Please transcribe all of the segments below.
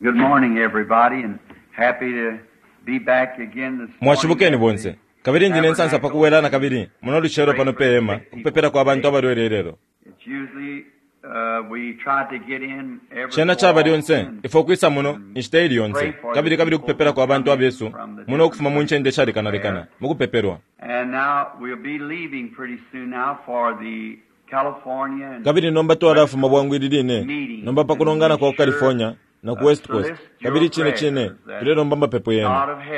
Good morning, everybody, and happy to be back again this morning. Mwashibukeni bonse. Kabili ndi ne nsansa pa kubwela na kabili muno lucelo pano pe hema kupepela kwa bantu abalwele ilelo. It's usually we try to get in every Cena so caba lyonse often. ifwe ukwisa muno inshita ili yonse kabili kabili kupepela kwa bantu abesu muno ukufuma mu ncende shalekanalekana mu kupepelwa. And now we'll be leaving pretty soon now for the California and Kabili nomba twalafuma bwangu ili line nomba pa kulongana kwa ku California na ku West Coast kabili cine cine tulelomba amapepo yenu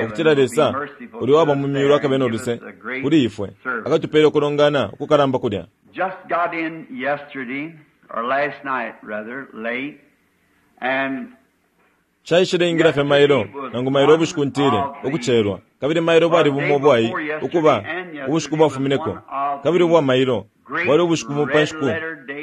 ukutila Lesa uli waba mu myulu akabe no luse kuli ifwe akatupele ukulongana ukukalamba kulya. just got in yesterday or last night rather late and Caishile ingila fye mailo nangu mailo ubushiku ntile ukucelwa kabili mailo bwali bumo ubwai ukuba ubushiku bwafumineko kabili ubwa mailo bwali ubushiku bu pa nshiku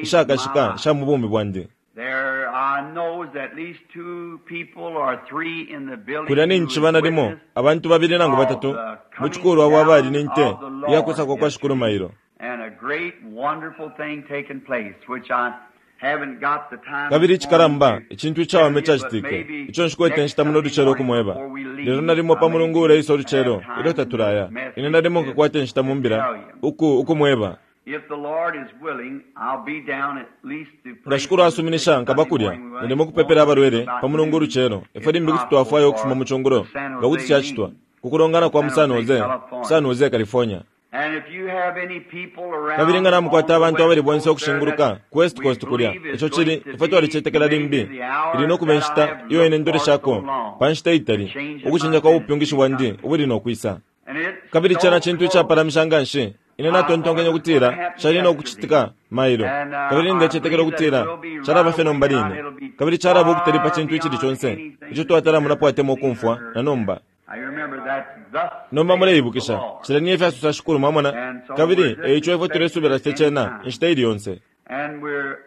ishakashika isha mu bumi bwandi. there I knows at least two people or three in the building Kulya who nincishiba was nalimo witness abantu babili nangu batatu mu cikulwa abo abali ni nte iya kwisa kwa kwa Shikulu mailo. and a great wonderful thing taking place which I haven't got the time Kabili this morning icikalamba to icintu icawama tell you, but icacitike maybe ico nshikwete next inshita muno Sunday lucelo morning ukumweba before we leave, lelo nalimo I pa may mulungu uleisa ulucelo have time ilyo in the tatulaya ine message nalimo to nkakwata inshita mu mbila tell you. uku ukumweba. If the Lord is willing, I'll be down at least to Nga pray Shikulu for the sick asuminisha Sunday nkaba kulya morning. We nalimo kupepela won't abalwele about pa mulungu noon, ulucelo ifwe if limbi kuti possible, twafwaya ukufuma for mu cungulo the San nga kuti Jose cacitwa meeting, ku kulongana kwa mu San San Jose, Jose, California. San Jose, California. And if you have any people Kabili nga around on namukwata the abantu West abali bonse Coast there ukushinguluka that ku West we Coast kulya believe is ico going cili to ifwe be twalicetekela maybe limbi the ili hour no kuba that I inshita have iyo ine looked for so ndoleshako long pa nshita to itali change in my ukucinja kwa bupyungishi ministry bwandi coming. ubuli no kwisa. And it's Kabili cena so cintu close. icapalamisha nga nshi ine I thought natontonkenye it was going to ukutila happen cali no yesterday. kucitika mailo And kabili I ndecetekela believe that it ukutila will be calaba right fye away nomba now. line It'll be kabili calaba ukutali pa far cintu icili beyond conse anything ico that you've twatala munapo ever atemwa seen or ukumfwa heard. na nomba. I remember that thus Nomba saith the muleibukisha Lord. cila ni efyo asosa Shikulu mwamona And so we're kabili just e ico ifwe expecting tulesubila it fye any cena time. inshita ili yonse. And we're to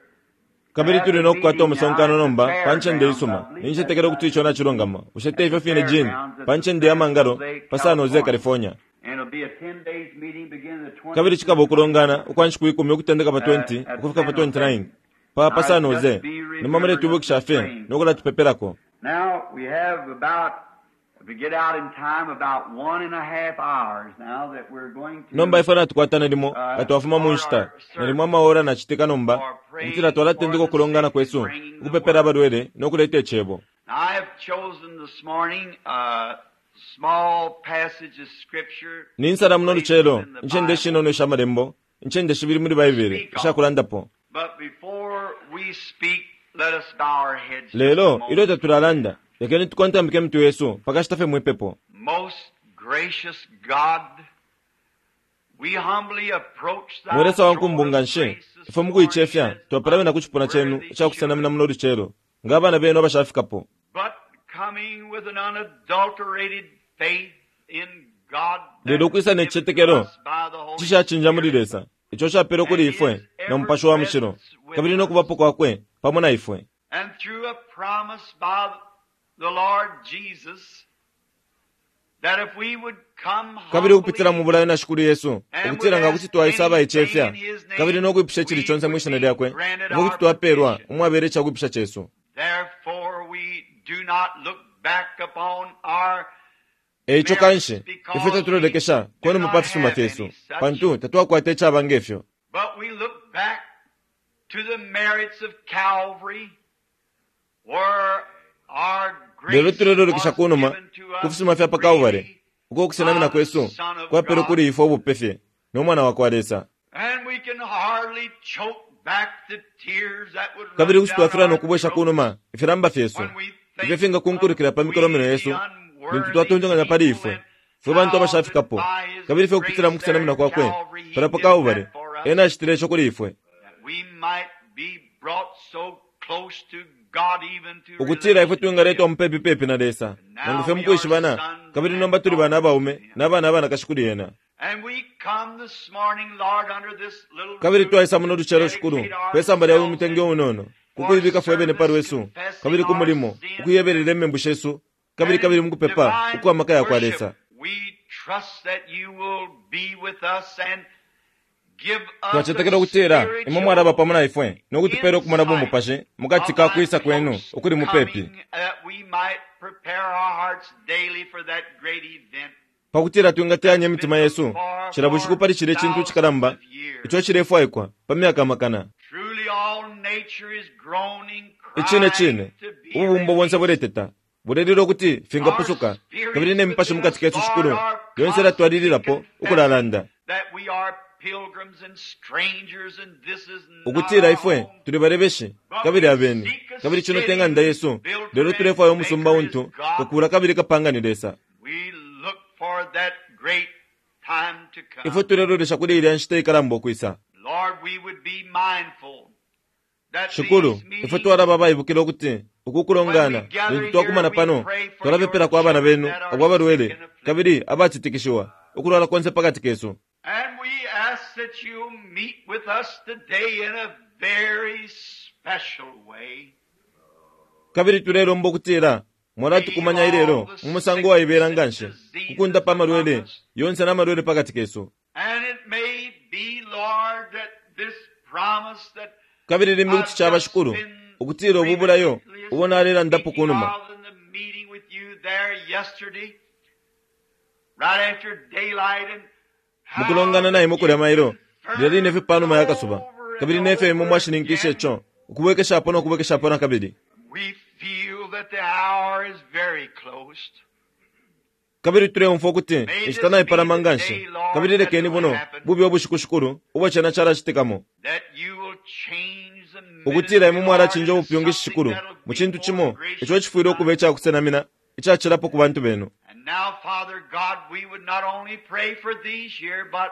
Kabili have tuli the no kukwata meeting now umusonkano at the nomba pa ncende fairgrounds. I isuma. believe that's Nincetekela ukuti right. ico nacilungama. Bushe At te the ifyo fine Gene fairgrounds at pa the ncende ya San mangalo Jose, pa San Jose, California. California. And it'll be a 10 days meeting beginning the Kabili 20th cikaba to the ukulongana 29th ukwa nshiku ikumi ukutendeka pa 20 at ukufika pa San Jose. 29 pa pa Now San just Jose. be Nomba remembering us muletwibukisha and fye praying no for us. kulatupepelako. Now we have about, if we get out in time, about 1.5 hours now that we're going Nomba to ifwe natukwata nalimo nga twafuma mu start nshita our nalimo service amaora nacitika nomba for ukutila praying for twalatendeka the ukulongana sick and kwesu bringing the ukupepela word. abalwele no kuleta icebo. Now, I have chosen this morning a small passage of scripture Ninsala muno placed lucelo within the incende Bible shinono isha malembo incende shibili muli to Baibele speak on. ishakulandapo. But before we speak, let us bow our heads just a Lelo ilyo moment. tatulalanda lekeni tukontambike mitwe yesu pakashita fye mwipepo. Most gracious God, we humbly approach Mwe thy Lesa throne wankumbu of nga nshi grace this ifwe morning mukuicefya as twapalamina ku cipuna cenu unworthy ica kusenamina children, muno lucelo nga abana benu abashafikapo. but coming with an unadulterated faith in God Lelo that is ukwisa ne given to cicetekelo us by the Holy cishacinja muli Spirit Lesa ico capelwe and kuli ifwe His na ever Mupashi wa Mushilo presence with kabili no us, kubapo kwakwe pamo na ifwe. and through a promise by the Lord Jesus that if we would come Kabili ukupitila humbly mu bulayo na Shikulu Yesu and would ukutila nga kuti ask twaisa anything in abaicefya His kabili name, no kwipusha icili we conse mwi would shina be lyakwe granted ifwe kuti our twapelwa petition. umwabela icakwipusha cesu. Therefore, we do not look back upon our E ico merits kanshi ifwe because we tatulolekesha do konuma not pa fisuma have fyesu any such, pantu tatwakwata icaba ngefyo. but we look back to the merits of Calvary, where our Lelo grace tulelolekesha was kunuma given to ku us fisuma fya pa Kalvari freely uko ukusenamina by the kwesu Son of kwapelwe God. kuli ifwe ubupe fye no Mwana wa kwa Lesa. And we can hardly choke back the tears that would Kabili run kuti down twafilwa no our kubwesha throats kunuma ifilamba fyesu when we ifyo think of fingakunkulukila pa we mikolomino the yesu lintu unworthy twatontonkanya pali people ifwe and fwe bantu how that abashafikapo by His kabili ifwe ukupitila grace mu there kusenamina at kwakwe Calvary He pala pa did that Kalvari for us, ena acitile ico kuli ifwe that we might be brought so close to God even to ukutila ifwe relationship. twingaletwa mupepi pepi na Lesa And nangu now fye we are mukwishibana sons kabili and nomba tuli bana daughters of abaume Him. na bana abanakashi kuli ena. And we come this morning, Lord, under this little Kabili roof twaisa to muno lucelo Shikulu dedicate pe samba lya uyu ourselves mutenge and unono for kukuibika fwe bene pa service, lwesu kabili confessing ku our mulimo sins ukuyebelela imembu shesu kabili and kabili in mukupepa divine ukwa maka ya kwa worship. Lesa. We trust that you will be with us and give us a Twacetekela ukutila imwe spiritual mwalaba pamo na ifwe no kutupela ukumona insight bumupashi mukati of ka thy kwisa kwenu close ukuli mupepi. coming, that we might prepare our hearts daily for that great event. Pakutila twingateyanya imitima yesu cila bushiku pali cilya cintu cikalamba ico cilefwaikwa pa myaka amakana. Truly all nature is groaning, Icine crying cine, to be ububumbo bonse released. buleteta, bulelila ukuti fingapusuka, kabili ne mipashi mukati kesu shikulu yonse ilatwalililapo ukulalanda That we are pilgrims and strangers and this is not ukutila our ifwe home. tuli balebeshi kabili abeni, kabili cino te ng'anda yesu, lelo tulefwaya umusumba untu kakula kabili kapanga ni Lesa. We look for that great time to come. Ifwe tulelolesha kuli ilya nshita ikalamba ukwisa. Lord, we would be mindful that Shikulu, these ifwe meetings twalaba abaibukila ukuti uku kulongana lintu twakumana pano twalapepelako abana benu abo abalwele kabili abatitikishiwa ukulwala konse pakati kesu. And we ask that you meet with us today in a very special way. Kabili tulelomba ukutila mwalatukumanya ilelo mu musango waibela nganshi kukundapa amalwele yonse na malwele pakati kesu. And it may be, Lord, that this promise that Kabili limbi kuti caba shikulu ukutila ubu bulayo ubo nalelandapo kunuma speaking of in the meeting with you there yesterday, right after daylight, and how mukulongana na imwe kulya mailo lilya line fye panuma ya kasuba over kabili and nefyo imwe over mwashininkisha again, ico ukubwekeshapo no kubwekeshapo na kabili. we feel that the hour is very close. Kabili tuleumfwa ukuti May this inshita be naipalama the nganshi day, Lord, kabili that lekeni it will buno happen, bube ubushiku shikulu ubo cena calacitikamo that you will change the ukutila ministry, imwe Lord, mwalachinja into ubupyungishi something shikulu that'll mu be cintu more cimo ico gracious cifwile to ukuba us. icakusenamina icacilappo ku bantu benu. And now, Father God, we would not only pray for these here, but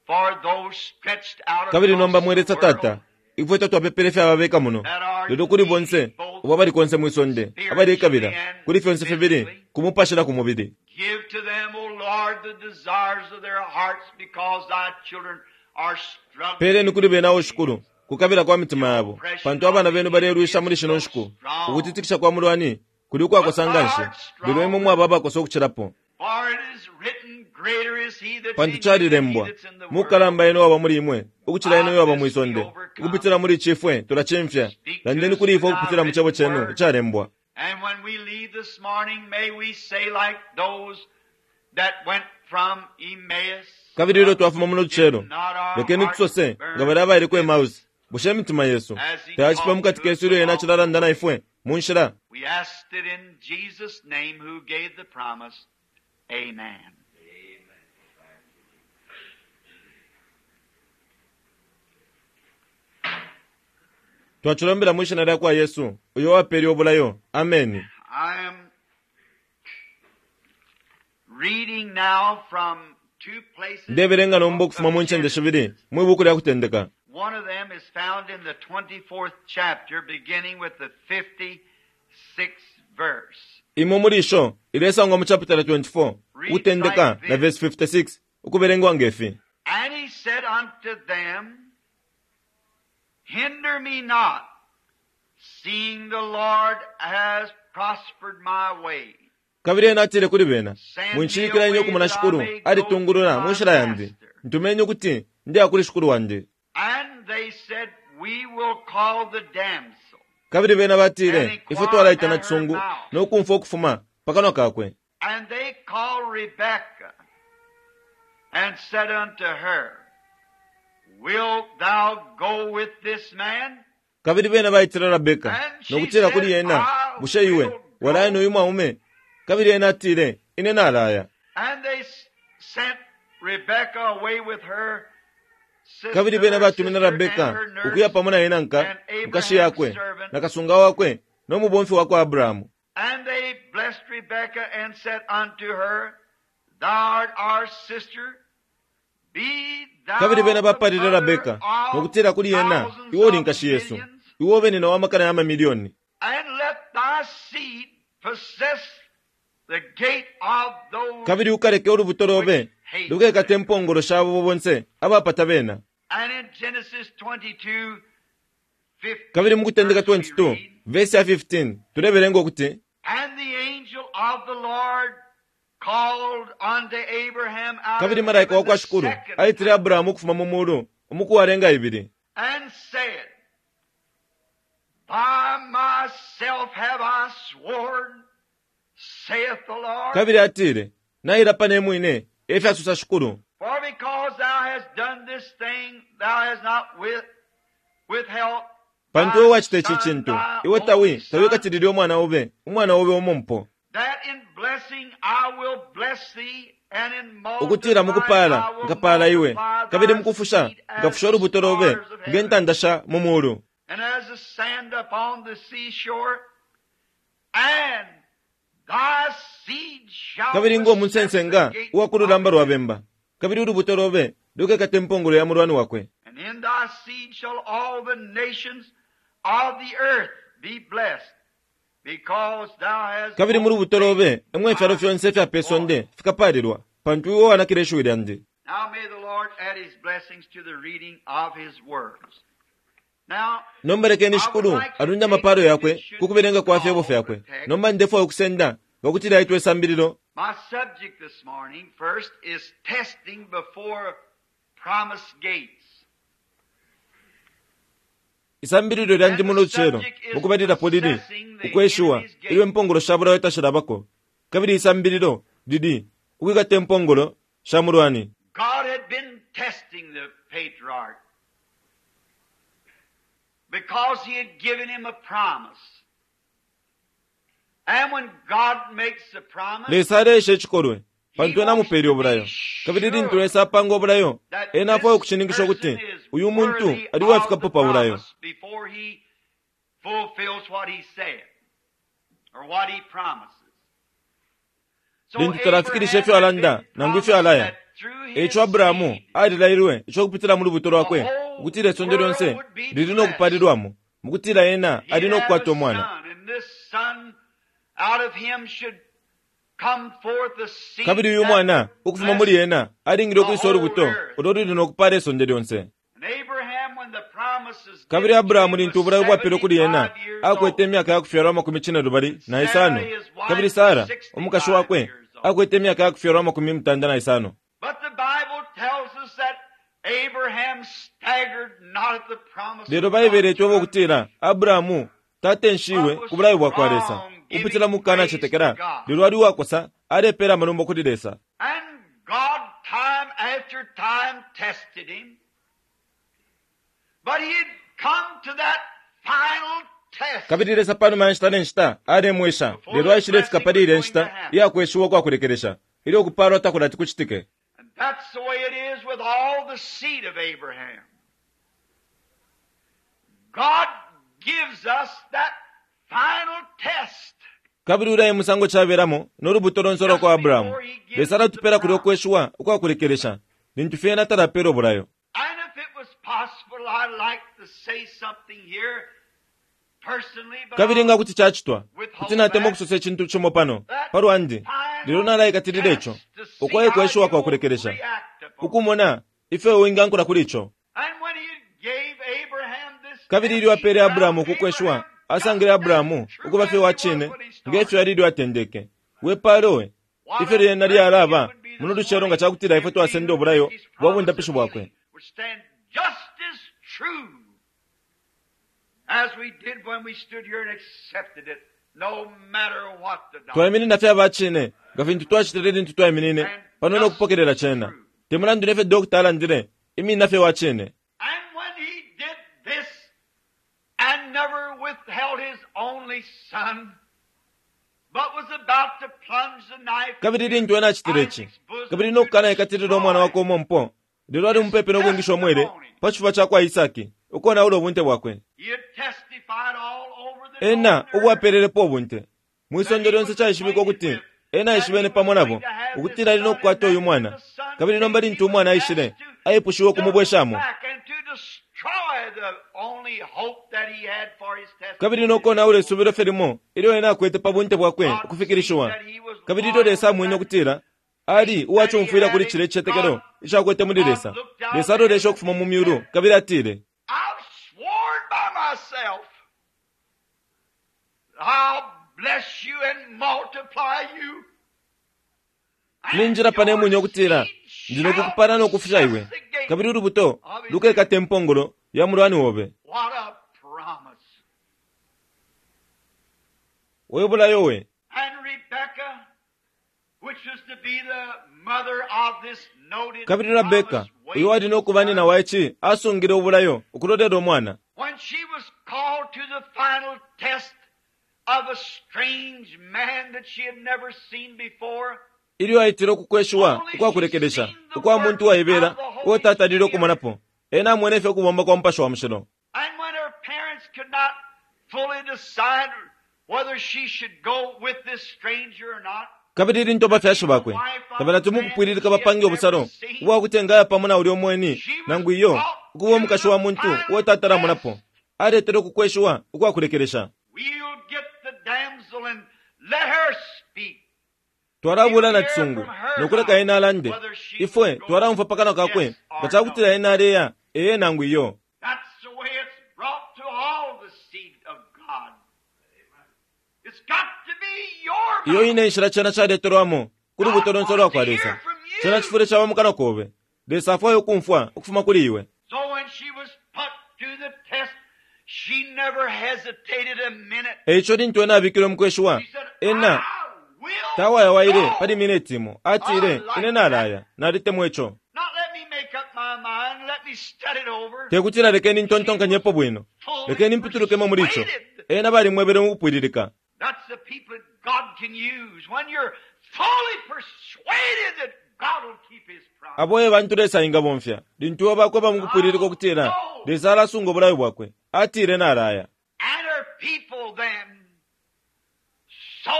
for those stretched out Kabili across nomba the mwe Lesa world Tata, ifwe tatwapepele fye ababeka muno, that are lelo kuli bonse needing both ubo abali konse mwi sonde abalekabila spiritually and kuli fyonse fibili physically. ku mupashi na ku mubili. Give to them, O Lord, the desires of their hearts, because thy children are struggling Peleni kuli in bena o these shikulu days. kukabila kwa mitima The yabo, oppression pantu of abana the benu enemy balelwisha is muli shino so nshiku. strong. Ukutitikisha kwa mulwani kuli But ukwakosa thou nganshi, art lelo imwe stronger, mwaba abakosa ukucilapo. for it is written, Greater is he that's Pantu in you than he calilembwa, that's in the world. mukalamba eno waba muli imwe ukucila eno By waba mwi this we sonde. overcome. Ukupitila muli cifwe tulacimfya. Speak to Landeni us kuli ifwe through thy ukupitila mu cebo written cenu word. icalembwa. And when we leave this morning, may we say like those that went from Emmaus, Kabili ilyo twafuma muno did lucelo, not our lekeni hearts tusose nga burn balya abaile ku within us Emmaus, bushe imitima yesu as he tayacipa talked mukati to us kesu ilyo ena along the acilalanda na way? ifwe mu nshila? We asked it in Jesus' name who gave the promise. Amen. Twacilombela mwi shina lya kwa Yesu uyo wapele ubulayo. Ameni. I am reading now from two places in Ndebelenga the nomba book ukufuma of mu ncende shibili Genesis. mwi buku lya kutendeka. One of them is found in the 24th chapter, beginning with the 56th verse. Imo muli isho ilesangwa mu chapitala 24 Reads ukutendeka like na this. verse 56 ukubelengwa ngefi. And he said unto them, Hinder me not, seeing the Lord has prospered my way. Kabili ena atile kuli bena, Send me Mwinshilikila ine away ukumona that I shikulu may go to alitungulula mu my nshila yandi. master. Ntumeni ukuti ndiya kuli shikulu wandi. And they said, We will call the damsel Kabili bena and batile, ifwe inquire twalaita na at her chisungu mouth. no kumfwa ukufuma pa kanwa kakwe. And they called Rebekah and said unto her, Wilt thou go with this man? Kabili bena baitile Rabeka And no she kutila kuli said, ena, I bushe iwe will walaya go. n'uyu mwaume? Kabili ena atile, ine nalaya. And they sent Rebekah away with her sister, Kabili bena her batumine sister and Rabeka her ukuya nurse pamo na ena nka and nkashi Abraham's yakwe servant. na kasunga wakwe no mubomfi wakwa Abrahamu. And they blessed Rebekah and said unto her, Thou art our sister, be Kabili thou bena the bapalile mother Rabeka no of kutila kuli ena, thousands iwe uli of nkashi yesu, millions, iwe ube nina wa makana ya mamilioni. and let thy seed possess the gate of those Kabili ukaleke ulubuto which lobe hate lukekate them. impongolo shabo bonse abapata bena. And in Genesis 22, Kabili 15 mu kutendeka verse we 22 read, verse ya 15 tulebelenga ukuti And the angel of the Lord called unto Abraham out kabili of malaika heaven wa kwa the shikulu second aitile time Abrahamu ukufuma mu mulu umuku walenga ibili and said, By myself have I sworn, saith the Lord. Kabili atile, Nailapa ne mwine, e fyasosa Shikulu. For because thou hast done this thing, thou hast not withheld Pantu thy iwe wacita ici son, cintu, thy iwe tawi, only tawikatilile son, umwana obe, umwana obe umompo. that in blessing I will bless thee, and in Ukutila multiplying mukupaala, I will nkapaala iwe, multiply kabili thy mukufusha, seed as nkafusha the ulubuto lobe, stars of nge heaven, ntanda sha mu muulu. and as the sand upon the seashore, and thy seed shall Kabili ngo possess the munsensenga gate uwa ku of lulamba it. lwa bemba, kabili ulubuto lobe lukekata impongolo ya mulwani wakwe. And in thy seed shall all the nations of the earth be blessed, because thou hast Kabili mu lubuto obeyed lobe emwe ifyalo my fyonse ifya pe voice. sonde fikapaalilwa, pantu iwe wanakile ishiwi lyandi. Now may the Lord add his blessings to the reading of his words. Now, Nomba lekeni I would Shikulu like to alunde take amapaalo if it yakwe should ku be kubelenga kwa fyebo called a fyakwe. text. Nomba ndefwaya ukusenda nga kuti laitwa isambililo. My subject this morning, first, is testing before promised gates. Isambililo lyandi And muno the lucelo subject is mukubalilapo lili possessing the ukweshiwa enemy's ilyo gate. impongolo sha bulayo tashilabako. Kabili isambililo lili ukwikata impongolo sha mulwani. God had been testing the patriarch because he had given him a promise. And when God makes a promise, Lesa aleesha icikolwe he pantu ena wants amupeele to ubulayo. be Kabili lintu sure Lesa apanga ubulayo, that ena afwaya this ukushininkisha person ukuti is uyu muntu worthy ali of uwafikapo the pa bulayo. promise before he fulfills what he said or what he promises. So Lintu talafikirisha Abraham ifyo had alanda been nangu ifyo promised alaya. that through Eico his Abrahamu seed alilailwe icokupitila mu lubuto the lwakwe whole ukutila isonde world lyonse would be lili no blessed. kupalilwamo mukutila ena ali He'd no have a kukwata umwana. son, and this son out of him should come forth a seed Kabili uyu that mwana would ukufuma bless muli ena alingile the ukwisa whole ulubuto earth. ulo luli no kupala isonde lyonse. And Abraham, when the promise is Kabili given to Abrahamu him, lintu was ubulayo bwapelwe kuli ena 75 years akwete old. imyaka ya kufyalwa 45 Sarah, isano. his Kabili wife, was Sara umukashi 65 wakwe years old. akwete imyaka ya kufyalwa 95. But the Bible tells us that Abraham staggered not at the promise Lelo of Baibele God itweba through ukutila unbelief, Abrahamu tatenshiwe but was ku bulayo bwa kwa Lesa strong, upitila giving mu kukana praise to cetekela, God. lelo ali uwakosa alepeela amalumbo kuli Lesa. And God, time after time, tested him. But he had come to that final test Kabili Lesa panuma ya nshita ne nshita alemwesha, before lelo the aishilefika blessing pali was ilya going to nshita happen. iyakweshiwa ukwakulekelesha ilyo ukupaalwa takulati kucitike. And that's the way it is with all the seed of Abraham. God gives us that final test Kabili ulya e musango caberamo no lubuto lonse ulwa just kwa Abrahamu. before he gives Lesa us the alatupela kulya promise. ukweshiwa ukwakulekelesha lintu fye ena talapeela ubulayo. And if it was possible, I'd like to say something here personally, but Kabili nga I'll kuti cacitwa, kuti withhold natemwa that. ukusosa icintu cimo pano That pa lwandi, lelo final nalaikatilila ico, test to see ukwaye how kweshiwa you kwa will kulekelesha, react upon it. ukumona ifyo wingankula kuli ico. And when he gave Abraham this Kabili test, ilyo he apeele found Abrahamu ukukweshiwa, Abraham just asangile as Abrahamu true ukuba as fye he wa was cine when he nge started. fyo ali ilyo atendeke. We paalo we, What ifyo a lyena blessing it lyalaba would be muno this lucelo nga morning cakutila ifwe if we twasenda who ubulayo took his bwa promise bundapishi of bwakwe. healing would stand just as true as we did when we stood here and accepted it, no matter what the doctor. Twaiminina fye aba cine nga fintu twacitile lintu twaiminine And pano no just kupokelela as cena. true. Te mulandu ne fyo dokita alandile, iminina fye wa cine. And when he did this and never withheld his only son, but was about to plunge the knife Kabili into lintu ena acitile ici, Isaac's bosom kabili to no kukanaikatilila umwana destroy wakwe umompo, lelo ali his mupepi no kwingisha umwele testimony. pa cifuba ca kwa Isaki, ukonaula ubunte bwakwe. He had testified all over the Ena known earth ubwapelelepo ubunte. Mwi that sonde he lyonse was caishibikwa acquainted ukuti with, ena that he aishibene was pamo going nabo, to have this ukutila ali no son, and kukwata that uyu when mwana. the son Kabili nomba came, he lintu was umwana aishile, asked to aipushiwe double ukumubweshamo. back and to destroy the only hope that he had for his Kabili testimony no to be konaula isubilo fulfilled. fye limo ilyo ena akwete pa bunte bwakwe God seen ukufikilishiwa. that he was Kabili ilyo loyal Lesa to amwene that ukutila ali faith that he uwacumfwila had kuli in cile icitetekelo God, icakwete muli God Lesa. looked out Lesa of aloleshe heaven ukufuma mu and myulu said, kabili atile, I've sworn by myself, I'll bless you and multiply you, and Ninjila pane your mwine ukutila seed ndi shall nokukupala nokufusha possess iwe, the gate kabili ulubuto of his lukekata enemies. impongolo ya mulwani wobe. What a promise. We bulayo we. And Rebekah Kabili Rabeka, uyo wali no kuba nyina wa ici, asungile ubulayo ukulolela umwana. When she was called to the final test of a strange man that she had never seen before, Ilyo aitile kukweshiwa ukwa kulekelesha ukwa muntu waibela uo tatalile ukumonapo, ena amwene fye ukubomba kwa Mupashi wa Mushilo. And when her parents could not fully decide whether she should go with this stranger or not, Kabili lintu abafyashi bakwe tabalati mukupwililika bapange ubusalo ubwa kuti engaya pamo na ulya umweni nangu iyo ukuba umukashi wa muntu uo tatalamonapo, aletele ukukweshiwa ukwa kulekelesha. we'll get the damsel and let her speak. Twalabula na cisungu nokuleka ena alande. Ifwe twalaumfwa pa kanwa kakwe nga ca kutila ena aleya ee nangu iyo. That's the way it's brought to all the seed of God. It's got to be your Iyo mouth. ine inshila cena caletelwamo ku lubuto lonse lwa kwa Lesa. Cena cifwile caba mu kanwa kobe. Lesa afwaya ukumfwa ukufuma kuli iwe. So when she was put to the test, she never hesitated a minute. Eico lintu ena abikilwe mu kweshiwa, She said, ena I will tawayawaile go. pali mineti imo. Atile, ine nalaya, nalitemwa ico. Not let me make up my mind, let me study it over. Tekutila lekeni ntontonkanyepo bwino. Lekeni mpitulukemo muli ico. Ena balimwebele mu kupwililika. That's the people that God can use. When you're fully persuaded that God will keep his promise. Abo e bantu Lesa engabomfya. Lintu iwe bakweba mu kupwililika ukutila, Lesa alasunga ubulayo bwakwe. Atile nalaya. And her people then, so,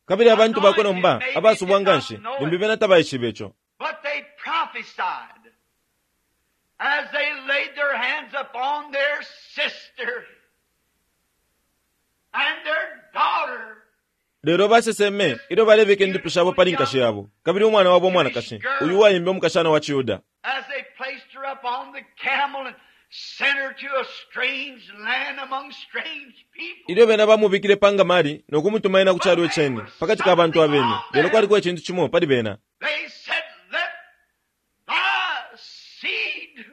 Kabili abantu bakwe nomba abasubwa nganshi, limbi bena tabaishibe ico. but they prophesied as they laid their hands upon their sister and their daughter. Lelo baseseme ilyo balebika indupi shabo pali nkashi yabo, kabili umwana wabo umwanakashi, uyu uwaimbe umukashana wa ciYuda. As they placed her upon the camel and sent her to a strange land among strange people. Ilyo bena bamubikile pa ngamali no kumutuma ena ku calo iceni, pakati ka bantu abeni, lelo kwaliko icintu cimo pali bena. They said, Let thy seed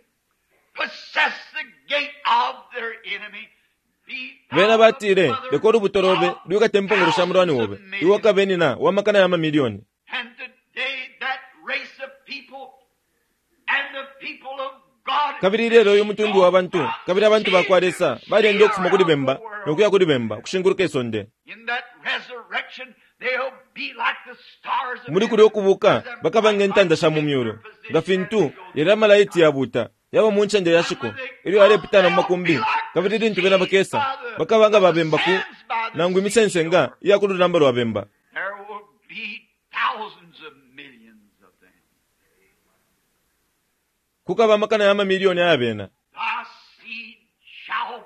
possess the gate of their enemy. Be thou Bena the batile, mother leka ulubuto lobe of lwikate impongolo sha mulwani thousands obe, of millions. iwe ukabe nina wa makana ya mamilioni. And today that race of people and the people of God Kabili ilelo uyu mutundu wa bantu, kabili abantu ba kwa Lesa, balenda ukufuma kuli bemba no kuya kuli bemba, kushinguluka isonde. In that resurrection, they'll be like the stars of Muli kulya ukubuka, bakaba nge ntanda sha mu myulu. Nga fintu, yalya amalaiti yabuta, yaba mu ncende ya shiko, ilyo yalepitana mu makumbi, kabili lintu bena bakesa, bakaba nga babemba ku, nangu imisensenga iya ku lulamba lwa bemba. There will be thousands of millions of them. Kukaba amakana ya mamilioni aya bena. Thy seed shall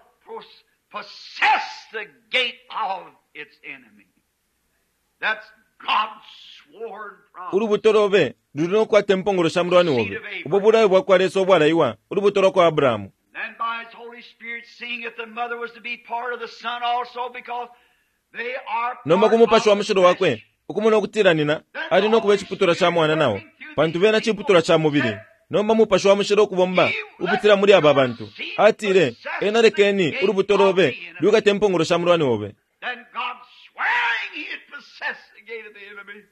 possess the gate of its enemy. That's God's sworn promise. Ulubuto lobe luli no kukwata impongolo sha mulwani obe. Ubo bulayo bwa kwa Lesa ubwalaiwa, ulubuto lwa kwa Abrahamu. Then by his Holy Spirit, seeing that the mother was to be part of the son also, because they are Nomba part ku mupashi wa of the mushilo wakwe, flesh. ukumona ukutila nina, ali no kuba iciputulwa ca mwana nao, pantu bena ciputulwa ca mubili. Nomba mupashi wa mushilo ukubomba upitila muli aba bantu. Atile, ena lekeni ulubuto lobe lwikate impongolo sha mulwani obe. Then God swearing he had possessed the gate of the enemy.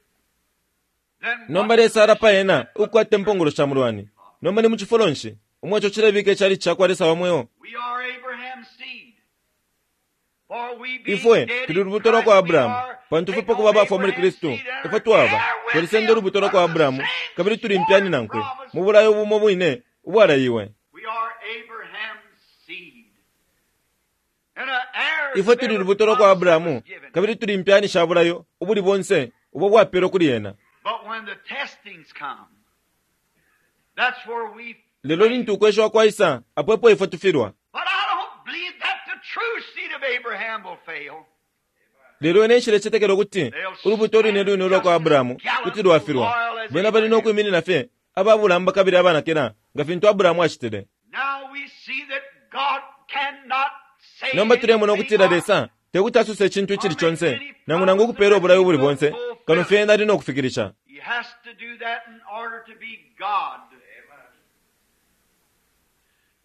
Then Nomba what Lesa alapa ena ukukwata impongolo sha mulwani. Nomba ni mu cifulo nshi umwe ico cilebika icali ca kwa Lesa wa mweo. We are Abraham's seed. For we being Ifwe dead tuli in lubuto lwa kwa Christ, we Abrahamu, are pantu taken fwe pakuba on abafwa muli Abraham's Kristu, seed and ifwe are twaba heir with twalisenda him ulubuto lwa kwa under the Abrahamu, same kabili tuli impyani sworn nankwe promise. mu bulayo bumo bwine ubwalaiwe. We are Abraham's seed. And an heir Ifwe to tuli every lubuto lwa kwa promise that Abrahamu, was given. kabili tuli impyani sha bulayo ubuli bonse ubo bwapelwe kuli ena. But when the testings come, that's where we Lelo lintu ukweshiwa kwaisa, apo epo ifwe tufilwa. But I don't believe that the true seed of Abraham will fail. Lelo ine nshilecetekela ukuti ulubuto lwine lwine ulwa kwa Abrahamu kuti lwafilwa. Bena bali no kwiminina fye ababulamba kabili abanakila nga fintu Abrahamu acitile. Now we see that God cannot say Nomba tulemona anything ukutila Lesa tekuti asose icintu icili conse nangu nangu ukupeela ubulayo ubuli bonse kano fye ena ali no kufikilisha. He has to do that in order to be God.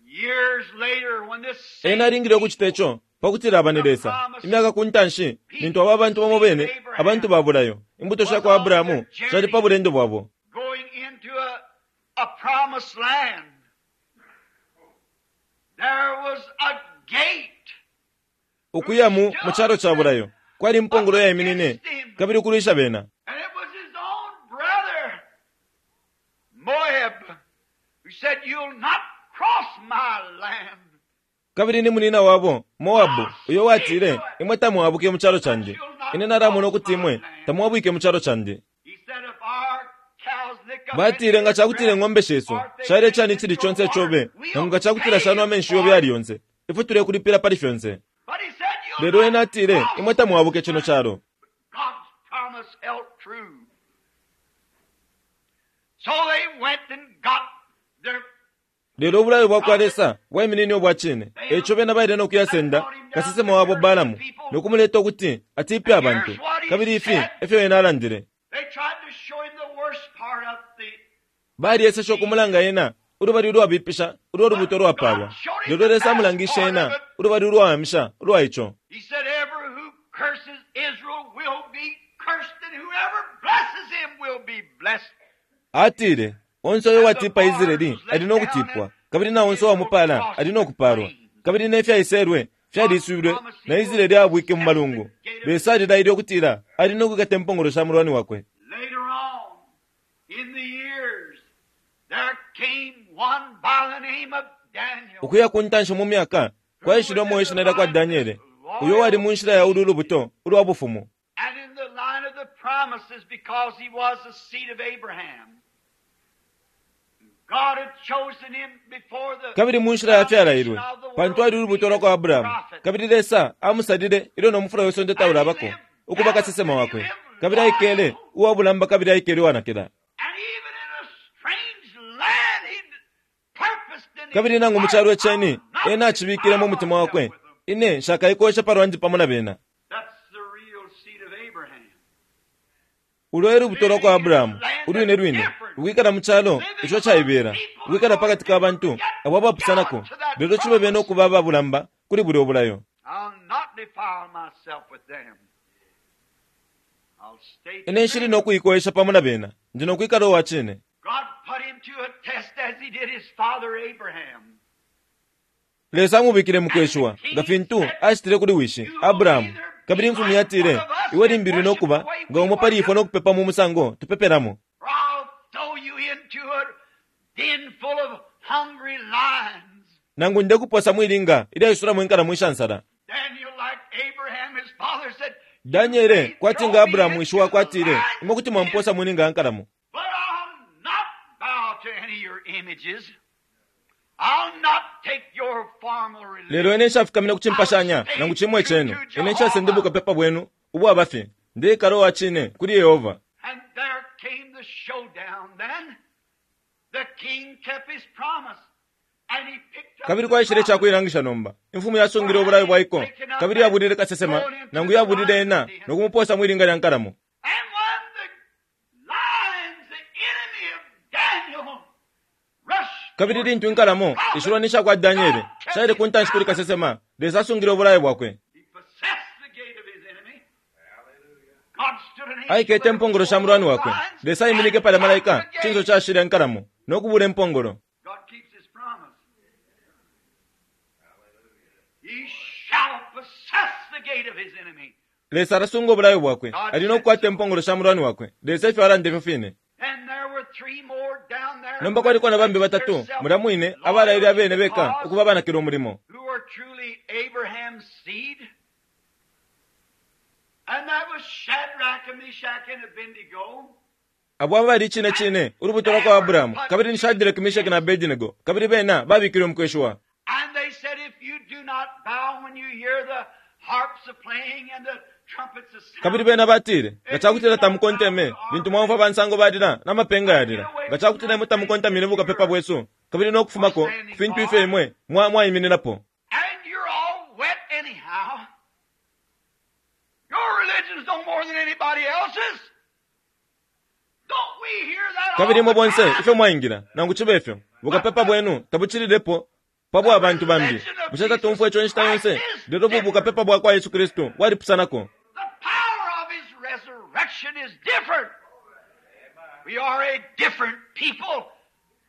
Years later, when this same Ena alingile ukucita ico pakutila aba ni Lesa. Imyaka ku ntanshi, lintu aba bantu bamo bene, abantu ba bulayo, Imbuto sha kwa Abrahamu shali pa bulendo bwabo. Going into a promised land. There was a gate. Ukuya mu calo ca bulayo kwali impongolo yaiminine kabili ukulwisha bena. And it was his own brother, Moab, who said, "You'll not cross my land." Kabili ni munina wabo Moabu uyo watile, imwe tamwabuke mu calo candi. Ine nalamona ukuti imwe tamwabwike mu calo candi. He said, "If our cows lick up Batile nga cakutila ing'ombe shesu shaile cani icili conse icobe, nangu nga cakutila shanwa amenshi yobe yali yonse, ifwe tulekulipila pali fyonse. But he said, "You'll Lelo ena not atile, cross imwe tamwabuke cino calo. God's promise held true. So they went and got their Lelo ubulayo bwa kwa Lesa bwaiminine ubwa cine. Eco bena baile no kuyasenda kasesema wabo Balamu no kumuleta ukuti atipe abantu. Kabili ifi efyo ena alandile. They tried to show him the worst part of the Balieseshe ukumulanga ena ulubali ulwabipisha ulwa lubuto lwapalwa. Lelo Lesa amulangishe ena ulubali ulwawamisha ulwa ico. He said, "Ever who curses Israel will be cursed, and whoever blesses him will be blessed." Atile, onse uyo watipa Israeli ali no kutipwa, kabili na onse uwamupala ali no kupalwa. Kabili ne fyaiselwe fyaliswilwe na Israeli abwike mu malungu. Lesa alilaile ukutila ali no kwikata impongolo sha mulwani wakwe. Later on, in the years, there came one by the name of Daniel. Ukuya ku ntanshi mu myaka kwaishile umo ishina lya kwa Daniele, uyo wali mu nshila ya ulu lubuto ulwa bufumu. And in the line of the promises, because he was the seed of Abraham. God had chosen him before the Kabili mu nshila ya fyalailwe, pantu ali ulubuto lwa kwa Abrahamu. Kabili Lesa amusalile ilyo no mufula wesonde taulabako ukuba kasesema wakwe. Kabili aikele uwa bulamba kabili aikele uwanakila. And even in a strange land, he purposed in his Kabili nangu mu calo heart, iceni, "I'll not ena acibikile mu mutima wakwe. with them." Ine nshakaikosha palwandi pamo na bena. That's the real seed of Abraham. Ulo e lubuto lwa kwa Abrahamu, ulwine lwine, ukwikala mu calo ico caibela, ukwikala pakati ka bantu abo abapusanako, lelo cibe bena ukuba ababulamba kuli bulya obulayo. I'll not defile myself with them. I'll stay Ine nshili no kuikowesha pamo na bena, ndi no kwikala uwa cine. God put him to a test as he did his father Abraham. Lesa amubikile mu kweshiwa, nga fintu acitile kuli wishi, Abrahamu. Kabili imfumu yatile, iwe limbilwe no kuba nga umo pali ifwe no kupepa mu musango tupepelamo. Or I'll throw you into a den full of hungry lions. Nangu ndekuposa mwilinga ilyaisulamo inkalamo ishansala. Daniel, like Abraham, his father said, Daniele kwati nga Abrahamu wishi wakwe atile, imwe kuti mwamposa mwilinga ya nkalamo. But I'll not bow to any of your images. I'll not take your formal religion. Lelo ine nshafukamina ku cimpashanya nangu cimwe cenu. Ine nshasende bukapepa bwenu ubwa ndeikala uwa cine kuli Yehova. And there came the showdown then. The king kept his promise. And he picked up Kabili the kwaishile prophet. icakuilangisha nomba. Imfumu yasungile ubulayo bwaiko, kabili yabulile kasesema, nangu yabulile ena no kumuposa mwilinga lya nkalamo. And when the lions, the enemy of Daniel, rushed Kabili lintu inkalamo ishilwani sha kwa Daniele shaile ku ntanshi kuli kasesema, Lesa asungile ubulayo bwakwe. He possessed the gate of his enemy. God stood an angel Aikete impongolo sha mulwani wakwe. there Lesa aiminike palya malaika, cinso cashile nkalamo, no kubula impongolo. God keeps his promise. He shall possess the gate of his enemy. Lesa alasunga ubulayo bwakwe, ali no kukwata impongolo sha mulwani wakwe. Lesa ifyo alanda ifyo fine. And there were three more down there. Nomba kwaliko na bambi batatu, mulya mwine abalaile abene beka ukuba banakila umulimo. Who were truly Abraham's seed. And that was Shadrach and Meshach and Abednego. Abo abali cine cine ulubuto lwa kwa Abrahamu, kabili ni Shadrach, Meshach na Abednego, kabili bena babikilwe mu kweshiwa. And they said, if you do not bow when you hear the harps a playing and the trumpets a sounding, Kabili bena batile, nga cakutila tamukonteme, lintu mwamfwa bansango balila n'amapenga yalila. Nga cakutila imwe tamukontamine bukapepa bwesu, kabili no kufumako ku fintu ifyo imwe mwaimininapo. and you're all wet anyhow. Your religion's no more than anybody else's. Don't we hear that Kabili all imwe the bonse time? ifyo mwaingila, nangu cibe ifyo, bukapepa bwenu tabucililepo pa bwa bantu bambi. Bushe tatumfwa ico inshita yonse, lelo bu bukapepa bwa kwa Yesu Kristu bwalipusanako. The power of his resurrection. resurrection is different. We are a different people,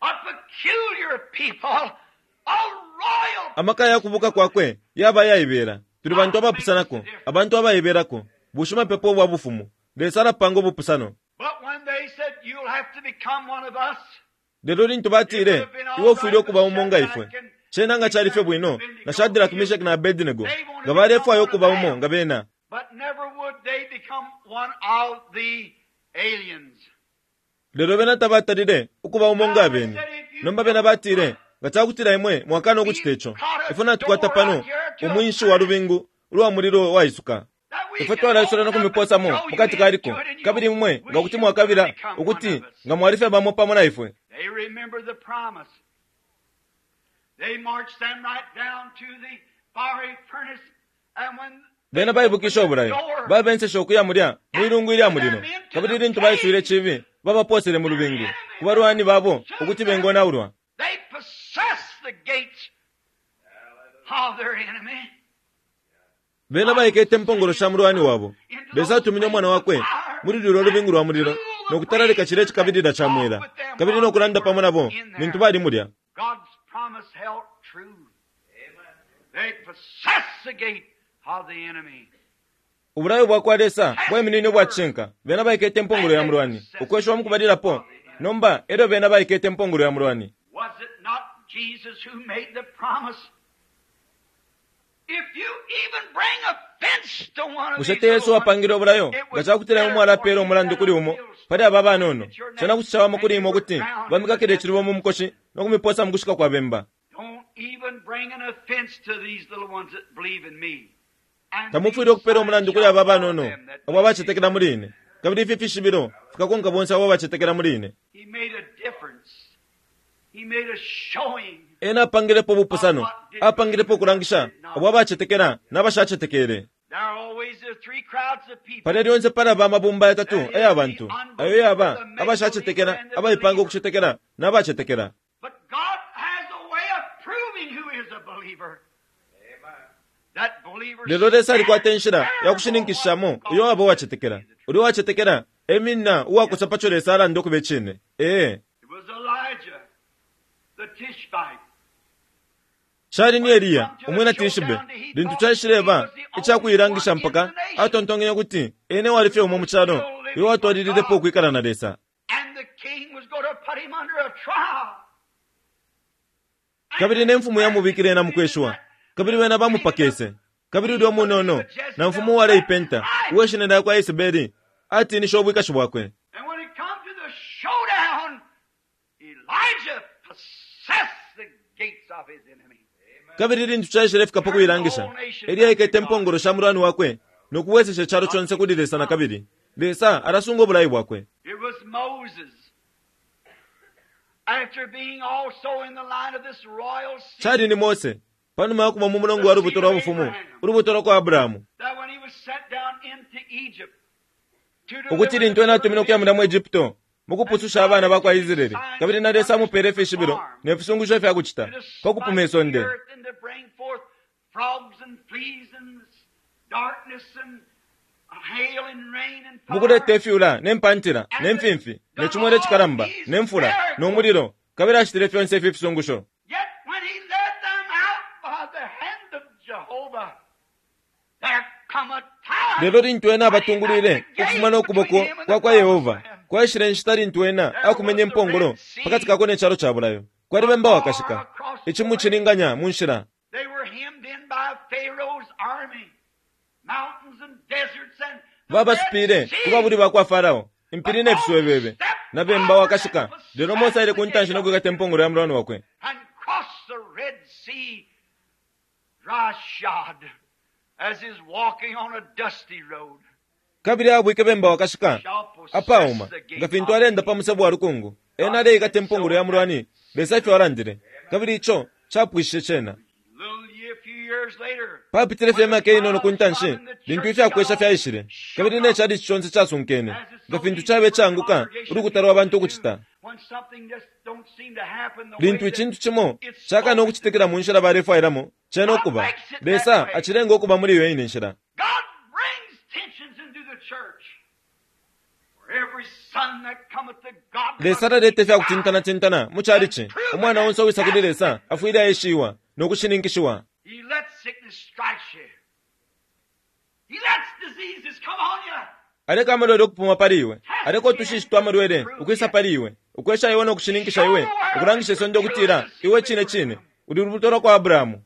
a peculiar people, a royal Amaka ya kubuka kwakwe yaba ayaibela. Tuli bantu abapusanako, abantu abaibelako, bushimapepo ubwa bufumu. Lesa alapanga ubupusano. But when they said, You'll have to become one of us, Lelo lintu batile, Iwe ufwile ukuba umo nga ifwe. Cena nga cali fye bwino, na Shadrach, Meshach na Abednego, nga balefwaya ukuba umo nga bena. but never would they become one of the aliens. Lelo bena tabatalile ukuba umo nga abeni. Nomba bena batile, nga ca kutila imwe mwakana ukucita ico, ifwe natukwata pano umwinshi wa lubingu ulwa mulilo waisuka. That we Ifwe can twalaisula no open up and kumiposamo throw you mukati ka liko, into it and you kabili imwe wish nga kuti you mwakabila would become one ukuti of us. nga mwali fye bamo pamo na ifwe. They remember the promise. They marched them right down to the fiery furnace, and when Bena baibukisha ubulayo, babenseshe ukuya mulya mwilungu ilya mulilo, kabili lintu baiswile icibi, babaposele mu lubingu, ku balwani babo ukuti bengonaulwa. they possessed the gates of their enemy. Bena baikete impongolo sha mulwani wabo. Lesa atumine umwana wakwe muli lulyo lubingu lwa mulilo no kutalalika cilya cikabilila ca mwela, kabili no kulanda pamo nabo lintu bali mulya. God's promise held true. They possessed the gate of the enemy. Ubulayo bwa kwa Lesa bwaiminine ubwa cishinka. Bena baikete impongolo ya mulwani, ukweshiwa mu kubalilapo. Nomba elyo bena baikete impongolo ya mulwani. Was it not Jesus who made the promise? If you even bring offense to one of Bushe these te Yesu little ones, apangile ubulayo it nga was ca kutila imwe better mwalapeela for you umulandu that kuli a umo millstone pali aba banono. at your Cena neck kuti cawama kuli and imwe you were ukuti drowned in bamikakile the icilubo mu mukoshi no kumiposa mu kushika kwa bemba. Don't even bring an offense to these little ones that believe in me. And Tamufwile these ukupeela signs umulandu kuli shall aba follow banono them that abo believe. abacetekela muli ine. Kabili ifi fishibilo fikakonka bonse abo abacetekela muli ine. He made a difference. He made a showing. Ena apangilepo ubupusano, apangilepo ukulangisha abo abacetekela n'abashacetekele. There are always the three crowds of people. Palya lyonse palaba amabumba yatatu aya bantu, ayo yaba abashacetekela, abaipanga ukucetekela, n'abacetekela. But God has a way of proving who is a believer. That believer Lelo Lesa alikwata inshila stands ya kushininkishamo uyo waba uwacetekela. Ulya uwacetekela eminina uwakosa paco Lesa alanda ukuba icine. Ee, It was Elijah, the Tishbite. cali ni Eliya, umwina Tishibe, lintu caishileba icakuilangisha mpaka atontonkenye ukuti ene wali fye umo mu calo uyo watwalililepo ukwikala na Lesa. And the king was going to put him under a trial. Kabili ne mfumu yamubikile ena mukweshiwa, kabili bena bamupakese. Kabili ulya umunono, na mfumu uwaleipenta, uweshina lya kwa Yesebeli, atiinishe ubwikashi bwakwe. And when it come to the showdown, Elijah possessed the gates of his enemy. Kabili lintu caishile fika pa kuilangisha, Eliya aikete impongolo sha mulwani wakwe no kubwesesha icalo conse kuli Lesa na kabili. Lesa alasunga ubulayi bwakwe. It was Moses. After being also in the line of this royal seed, Cali ni Mose, panuma ya kuba mu mulongo wa lubuto lwa bufumu, ulubuto lwa kwa Abrahamu, that when he was sent down into Egypt to ukuti deliver lintu the ena atumine ukuya children mulya mu Egypto, mu kupususha abana ba kwa Israeli, kabili na Lesa amupeele ifishibilo ne fisungusho ifya kucita, to pa kupuma smite the isonde. earth and to bring forth frogs and fleas and darkness and hail and rain and fire. Mukuleta ifyula, ne mpantila, ne mfimfi, ne cimwele cikalamba, ne mfula, no mulilo, kabili acitile fyonse ifi fisungusho. Yet when he led them out by the hand of Jehovah, there come a time Lelo lintu ena abatungulwile ukufuma no kuboko kwa kwa Yehova, kwaishile inshita lintu ena akumenye impongolo pakati kako ne calo ca bulayo. Kwali bemba wakashika, icimucilinganya mu nshila. They were hemmed in by Pharaoh's army, mountains and deserts and the Babasupile Red Sea. ku babuli ba kwa Farao, impili ne fiswebebe, na bemba wakashika. Lelo Mose aile ku ntanshi no kwikata impongolo ya mulwani wakwe. and crossed the Red Sea dry shod as is walking on a dusty road. Kabili abwike bemba wakashika, Shall possess apauma, the gate nga fintu of alenda pa musebo wa lukungu. Ena aleikata impongolo ya mulwani, Lesa ifyo alandile. Kabili ico capwishishe cena. Little year, few years later, Papitile fye imyaka inono ku ntanshi, lintu ifyakwesha fyaishile, kabili ne calici conse casunkene, nga fintu cabe icaanguka ulukuta lwa bantu ukucita. when something just don't seem to happen the way Lintu that icintu cimo it's cakana supposed ukucitikila mu nshila balefwailamo, cena ukuba. Lesa acilenga ukuba muli iyo ine nshila. God brings tensions into the church. Lesa taleta ifya kutintanatintana mu chalichi. Umwana onse uwisa kuli Lesa afwile aeshiwa no kushininkishiwa. Aleka amalwele ukupuma pali iwe. Aleka utushishi twa malwele ukwisa pali iwe, ukwesha iwe no kushininkisha iwe, ukulangisha isonde ukutila iwe cine cine uli lubuto lwa kwa Abrahamu.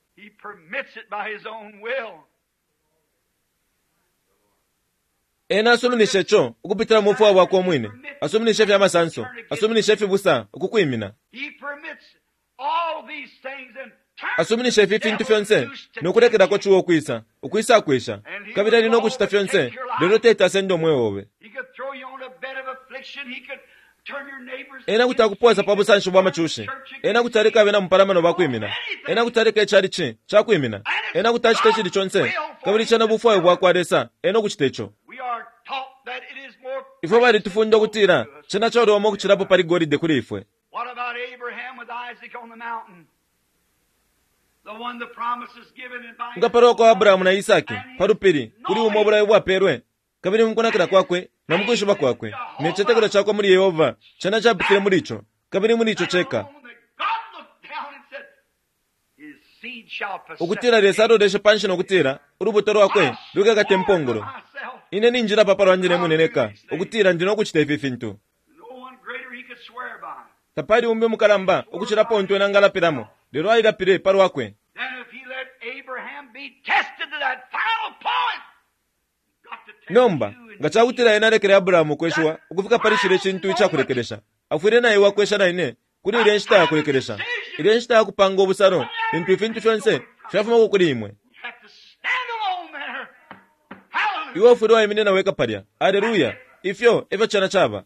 Ena asuminishe co ukupitila mu bufwayo bwakwe umwine. Asuminishe ifya masanso. Asuminishe ifibusa ukukwimina. Asuminishe ifi fintu fyonse no kulekelako ciwa ukwisa, ukwisa kwesha. Kabili ali no kucita fyonse, lelo teti asende umweo obe. Ena kuti akupoosa pa busanshi bwa macushi. Ena kuti aleka abena mupalamano bakwimina. Ena kuti aleka icalici cakwimina. Ena kuti acita icili conse, kabili cena bufwayo bwakwa Lesa ena ukucita ico. Ifwe balitufunda ukutila cena caliwama ukucilapo pali golide kuli ifwe. Nga palwa kwa Abrahamu na Isaki pa lupili, kuli umo ubulayo bwapelwe, kabili mu kunakila kwakwe na mu kwishiba kwakwe ne citetekelo cakwe muli Yehova, cena capitile muli ico, kabili muli ico ceka. Ukutila Lesa aloleshe panshi no kutila, Ulubuto lwakwe lukekata impongolo. Ine ninjilapa pa lwandi ne mwine neka, ukutila ndi no kucita ifi fintu. Tapali umbi umukalamba ukucilapo untu ena angalapilamo, lelo alilapile pa lwakwe. Nomba, nga ca kutila ena alekele Abrahamu ukweshiwa ukufika pali cilya cintu ica kulekelesha, afwile na iwe akwesha na ine kuli ilya nshita ya kulekelesha, ilya nshita ya kupanga ubusalo lintu ifintu fyonse fyafumako kuli imwe. Iwe ufwile waiminina weka palya. Aleluya! Ifyo efyo cena caba.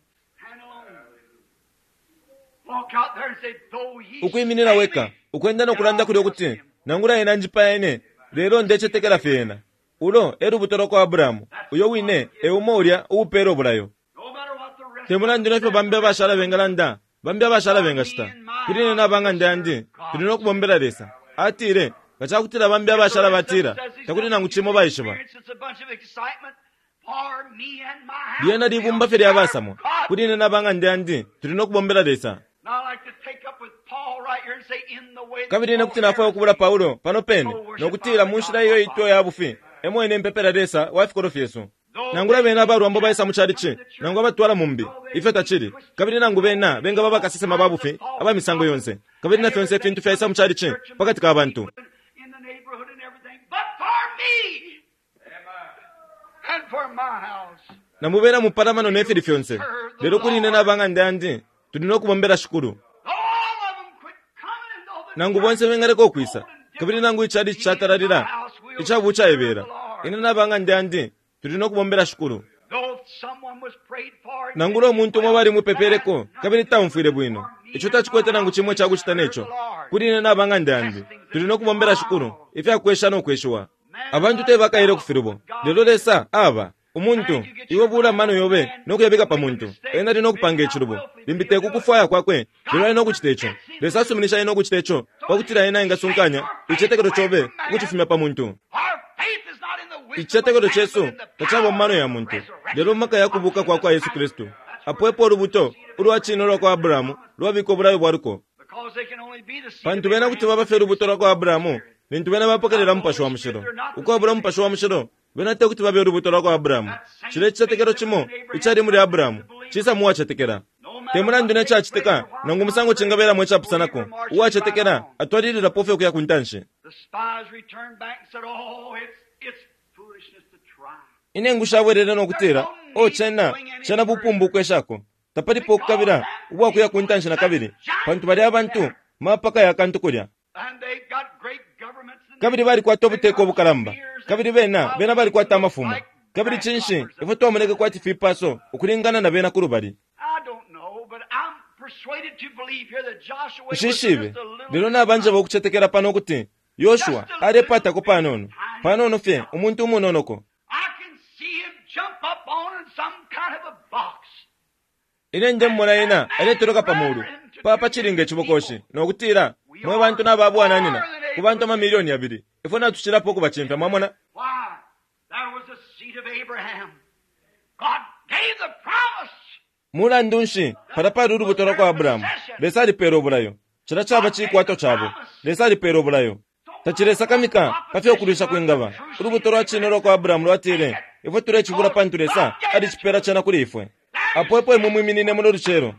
Ukwiminina weka, ukwenda no kulanda kulya ukuti, Nangula ena anjipaya ine, lelo ndecetekela fye ena. Ulo e lubuto lwa kwa Abrahamu, uyo wine e umo ulya uupela ubulayo. Te mulandu ne fyo bambi abashala bengalanda, bambi abashala bengacita, kuli ine na ba ng'anda yandi, tuli no kubombela Lesa. Atile, Nga ca kutila bambi abashala batila, Takuli nangu cimo baishiba. Lyena libumba fye lya basamwa. Kuli ine na ba ng'anda yandi, tuli no kubombela Lesa. Kabili ine kuti nafwaya ukubula Paulo pano pene, no kutila mu nshila iyo itwa ya bufi, emo ine mpepela Lesa wa fikolwe fyesu. Nangula bena aba lwambo baisa mu chalichi, nangu abatwala mumbi, ifyo tacili, kabili nangu bena bengaba bakasesema ba bufi aba misango yonse, kabili na fyonse ifintu fyaisa mu chalichi pakati ka bantu. Na mu bena mupalamano ne fili fyonse. Lelo kuli ine na ba ng'anda yandi, tuli no kubombela Shikulu. Nangu bonse bengaleka ukwisa, kabili nangu ichalichi catalalila ica bucaibela, ine na ba ng'anda yandi tuli no kubombela Shikulu. Nangula umuntu umo balimupepeleko kabili taumfwile bwino, ico tacikwete nangu cimo ica kucita ne co. Kuli ine na ba ng'anda yandi, tuli no kubombela Shikulu ifya kwesha no kweshiwa. Abantu te bakaele ku filubo, lelo Lesa aba. Umuntu, iwe buula amano yobe no kuyabika pa muntu, ena ali no kupanga icilubo, limbi te ku kufwaya kwakwe, lelo ali no kucita ico. Lesa asuminisha ena ukucita ico pa kutila ena engasunkanya icitetekelo cobe ukucifumya pa muntu. Icitetekelo cesu tacaba mu mano ya muntu, lelo mu maka ya kubuuka kwa kwa Yesu Kristu. Apo epo ulubuto ulwa cine ulwa kwa Abrahamu lwabika ubulayo bwa luko. Pantu bena kuti baba fye lubuto lwa kwa Abrahamu lintu bena bapokelela Mupashi wa Mushilo. Ukwabula Umupashi wa Mushilo, bena te kuti babe ulubuto lwa kwa Abrahamu. Cilya icitetekelo cimo icali muli Abrahamu cisa mu wacetekela. Te mulandu ne cacitika nangu umusango cingabelamo icapusanako, uwacetekela atwalililapo fye ukuya ku ntanshi. Inengu shabwelele no kutila, Oh, cena, cena bupumbu ukweshako. Tapalipo ukukabila ubwa kuya ku ntanshi na kabili, pantu balya abantu mapaka ya kantu kulya. Kabili balikwata ubuteko ubukalamba, kabili bena, bena balikwata amafumo. Kabili cinshi ifwe twamoneke kwati fipaso ukulingana na bena kulubali? Nshishibe, lelo nabanjeba ukucetekela pano ukuti Yoshua alepatako panono, panono fye, umuntu umunonoko. Ine ndemumona ena aletoloka pa mulu pa pa cilinga icibokoshi, no kutila, Mwe bantu na ba bwananyina, ku bantu amamilioni yabili, ifwe natucilapo ukubacimfya. Mwamona? Mulandu nshi, palya pali ulubuto lwakwa Abrahamu. Lesa alipele ubulayo. Cilya caba cikwato cabo. Lesa alipele ubulayo. Tacilesakamika pa fyo ukulwisha kwingaba. Ulubuto lwa cine ulwa kwa Abrahamu lwatile, Ifwe tulecibula pantu Lesa alicipela cena kuli ifwe. Apo epo imwe mwiminine muno lucelo.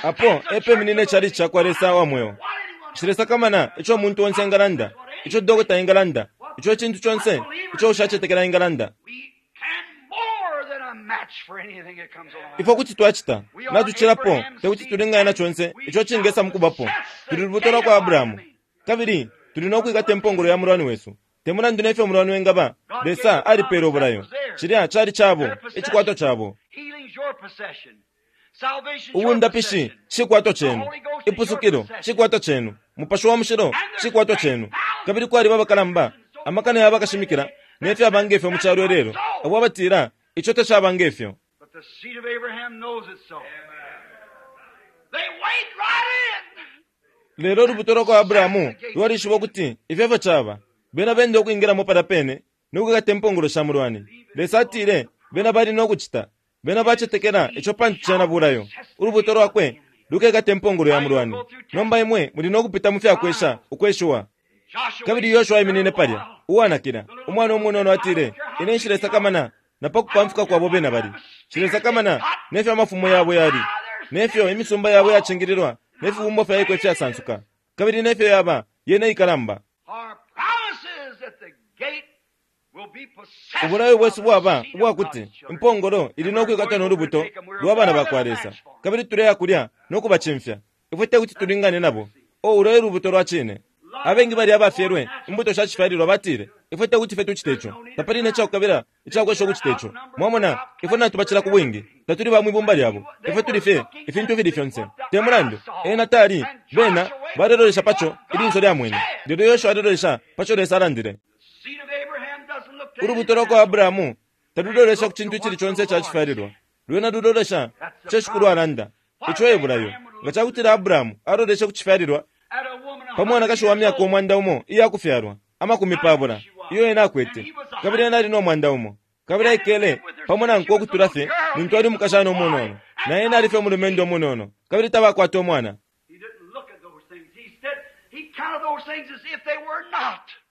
Apo epeminine icalici cakwa Lesa wa mweo. Nshilesakamana ico umuntu onse engalanda, ico dokota engalanda, ico icintu conse ico ushacetekela engalanda. Ifwe kuti twacita, natucilapo, tekuti tulingane na conse ico cingesa mukubapo. Tuli lubuto lwakwa Abrahamu, kabili tuli no kwikata impongolo ya mulwani wesu. Te mulandu nefyo umulwani wengaba, Lesa alipele ubulayo. Cilya cali cabo, icikwatwa cabo. Ubundapishi cikwato cenu. Ipusukilo cikwato cenu. Mupashi wa Mushilo cikwato cenu. Kabili kwaliba abakalamba, amakana ya bakashimikila, ne fyaba nge fyo mu calo ilelo, abo abatila, Ico tacaba nge fyo. Lelo ulubuto lwa kwa Abrahamu lwalishiba ukuti ifyo efyo caba. Bena benda ukwingilamo palya pene no kwikata impongolo sha mulwani. Lesa atile bena bali no kucita. Bena bacetekela ico pantu cena bulayo. Ulubuto lwakwe lukekata impongolo ya mulwani. Nomba imwe muli no kupita mu fyakwesha, ukweshiwa. Kabili Yoshua aiminine palya, uwanakila, umwana umunono atile, Ine nshilesakamana na pa kupamfuka kwabo bena bali. Nshilesakamana ne fyo amafumo yabo yali, ne fyo imisumba yabo yacingililwa ne fibumbwa fya iko ifyasansuka, kabili ne fyo yaba yena ikalamba. Ubulayo bwesu bwaba ubwa kuti impongolo ili no kwikatwa no lubuto lwa bana ba kwa Lesa, kabili tuleya kulya no kubacimfya. Ifwe te kuti tulingane nabo. O, ulo e lubuto lwa cine. Abengi balya abafyelwe imbuto sha cifyalilwa batile, Ifwe te kuti fye tucite ico. Tapali ne cakukabila icakwesha ukucita ico. Mwamona, ifwe natubacila ku bwingi. Tatuli ba mwi bumba lyabo. Ifwe tuli fye ifintu ifili fyonse. Te mulandu, ena tali, bena balelolesha pa co ilinso lyamwene, lelo Yoshua alelolesha pa co Lesa alandile. Ulubuto lwa kwa Abrahamu talulolesha ku cintu icili conse ica cifyalilwa. Lwena lulolesha ku co Shikulu alanda. Ico e bulayo. Nga ca kutila Abrahamu aloleshe ku cifyalilwa, pa mwanakashi wa myaka 100 iyakufyalwa, 20 iyo ena akwete, kabili ena ali no 100, kabili aikele pamo nankwe ukutula fye lintu ali umukashana umunono, na ena ali fye umulumendo umunono, kabili tabakwata umwana.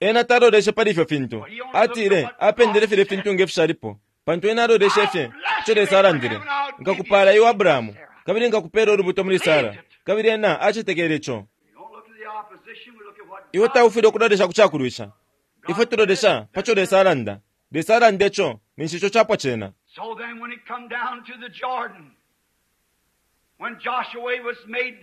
Ena taloleshe pali ifyo fintu. Atile apendele filya fintu nge fishalipo, pantu ena aloleshe fye ico Lesa alandile, Nkakupaala iwe, Abrahamu, kabili nkakupela ulubuto muli Sara. Kabili ena acetekele ico. Iwe taufwile ukulolesha ku cakulwisha. Ifwe tulolesha pa co Lesa alanda. Lesa alanda ico, ninshi ico capwa cena. So then when it come down to the Jordan, when Joshua was made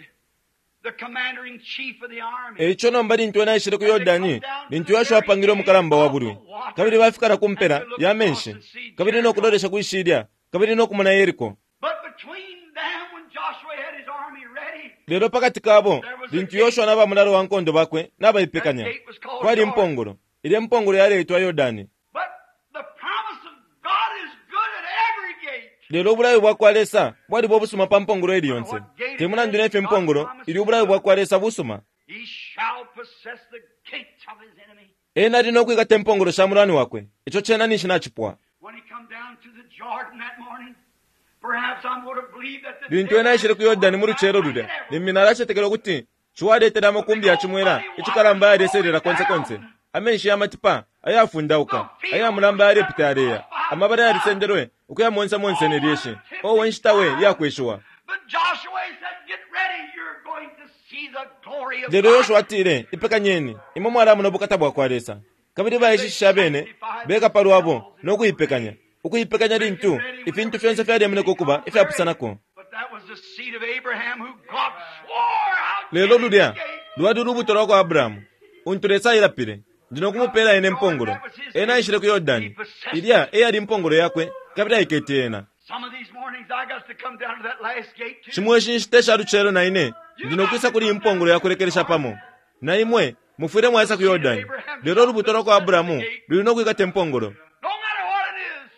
the commander in chief of the army, E ico nomba lintu ena aishile ku Yordani, lintu Yoshua apangilwe umukalamba wa bulwi, kabili bafika na ku mpela ya menshi, kabili no kulolesha kwi shilya, kabili no kumona Yeriko. but between them, when Joshua had his army ready, Lelo pa kati kabo, lintu Yoshua na ba mulalo wa nkondo bakwe nabaipekanya, kwali impongolo. Ilya mpongolo yaleitwa Yordani. but the promise of God is good at every gate. Lelo ubulayo bwa kwa Lesa bwaliba ubusuma pa mpongolo ili yonse. Te mulandu ne fyo impongolo ili, ubulayo bwa kwa Lesa busuma. He shall possess the gates of his enemy. Ena ali no kwikata impongolo sha mulwani wakwe. Ico cena ninshi nacipwa. When he come down to the Jordan that morning, perhaps I'm going to believe that the Lintu ena aishile ku Yordani mu lucelo lulya, limbi nalacetekela ukuti Ciwa aletele amakumbi ya cimwela icikalamba ayaleselela konse konse, amenshi ya matipa ayafundauka, aya mulamba yalepita yaleya, amabala yalisendelwe ukuya monse monse ne lyeshi. Owe nshita we iya kweshiwa! But Joshua said, Get ready, you're going to see the glory of Lelo God. Yoshua atile, Ipekanyeni, imwe mwalamona ubukata bwa kwa Lesa. Kabili baishishishe abene beka pa lwabo no kuipekanya, ukuipekanya lintu ifintu fyonse fyalemoneka ukuba ifyapusanako. But that was the seed of Abraham who God swore out Lelo lulya lwali ulubuto lwa kwa Abrahamu, untu Lesa ailapile, Ndi no kumupeela ena impongolo. Ena aishile ku Yordani. Ilya e yali impongolo yakwe, kabili aikete ena. Some of these mornings I got to come down to that last gate too. Shimo ishi nshita isha lucelo na ine ndi no kwisa kuli impongolo ya kulekelesha pamo. Na imwe mufwile mwaisa ku Yordani. Lelo ulubuto lwa kwa Abrahamu luli no kwikata impongolo. No matter what it is,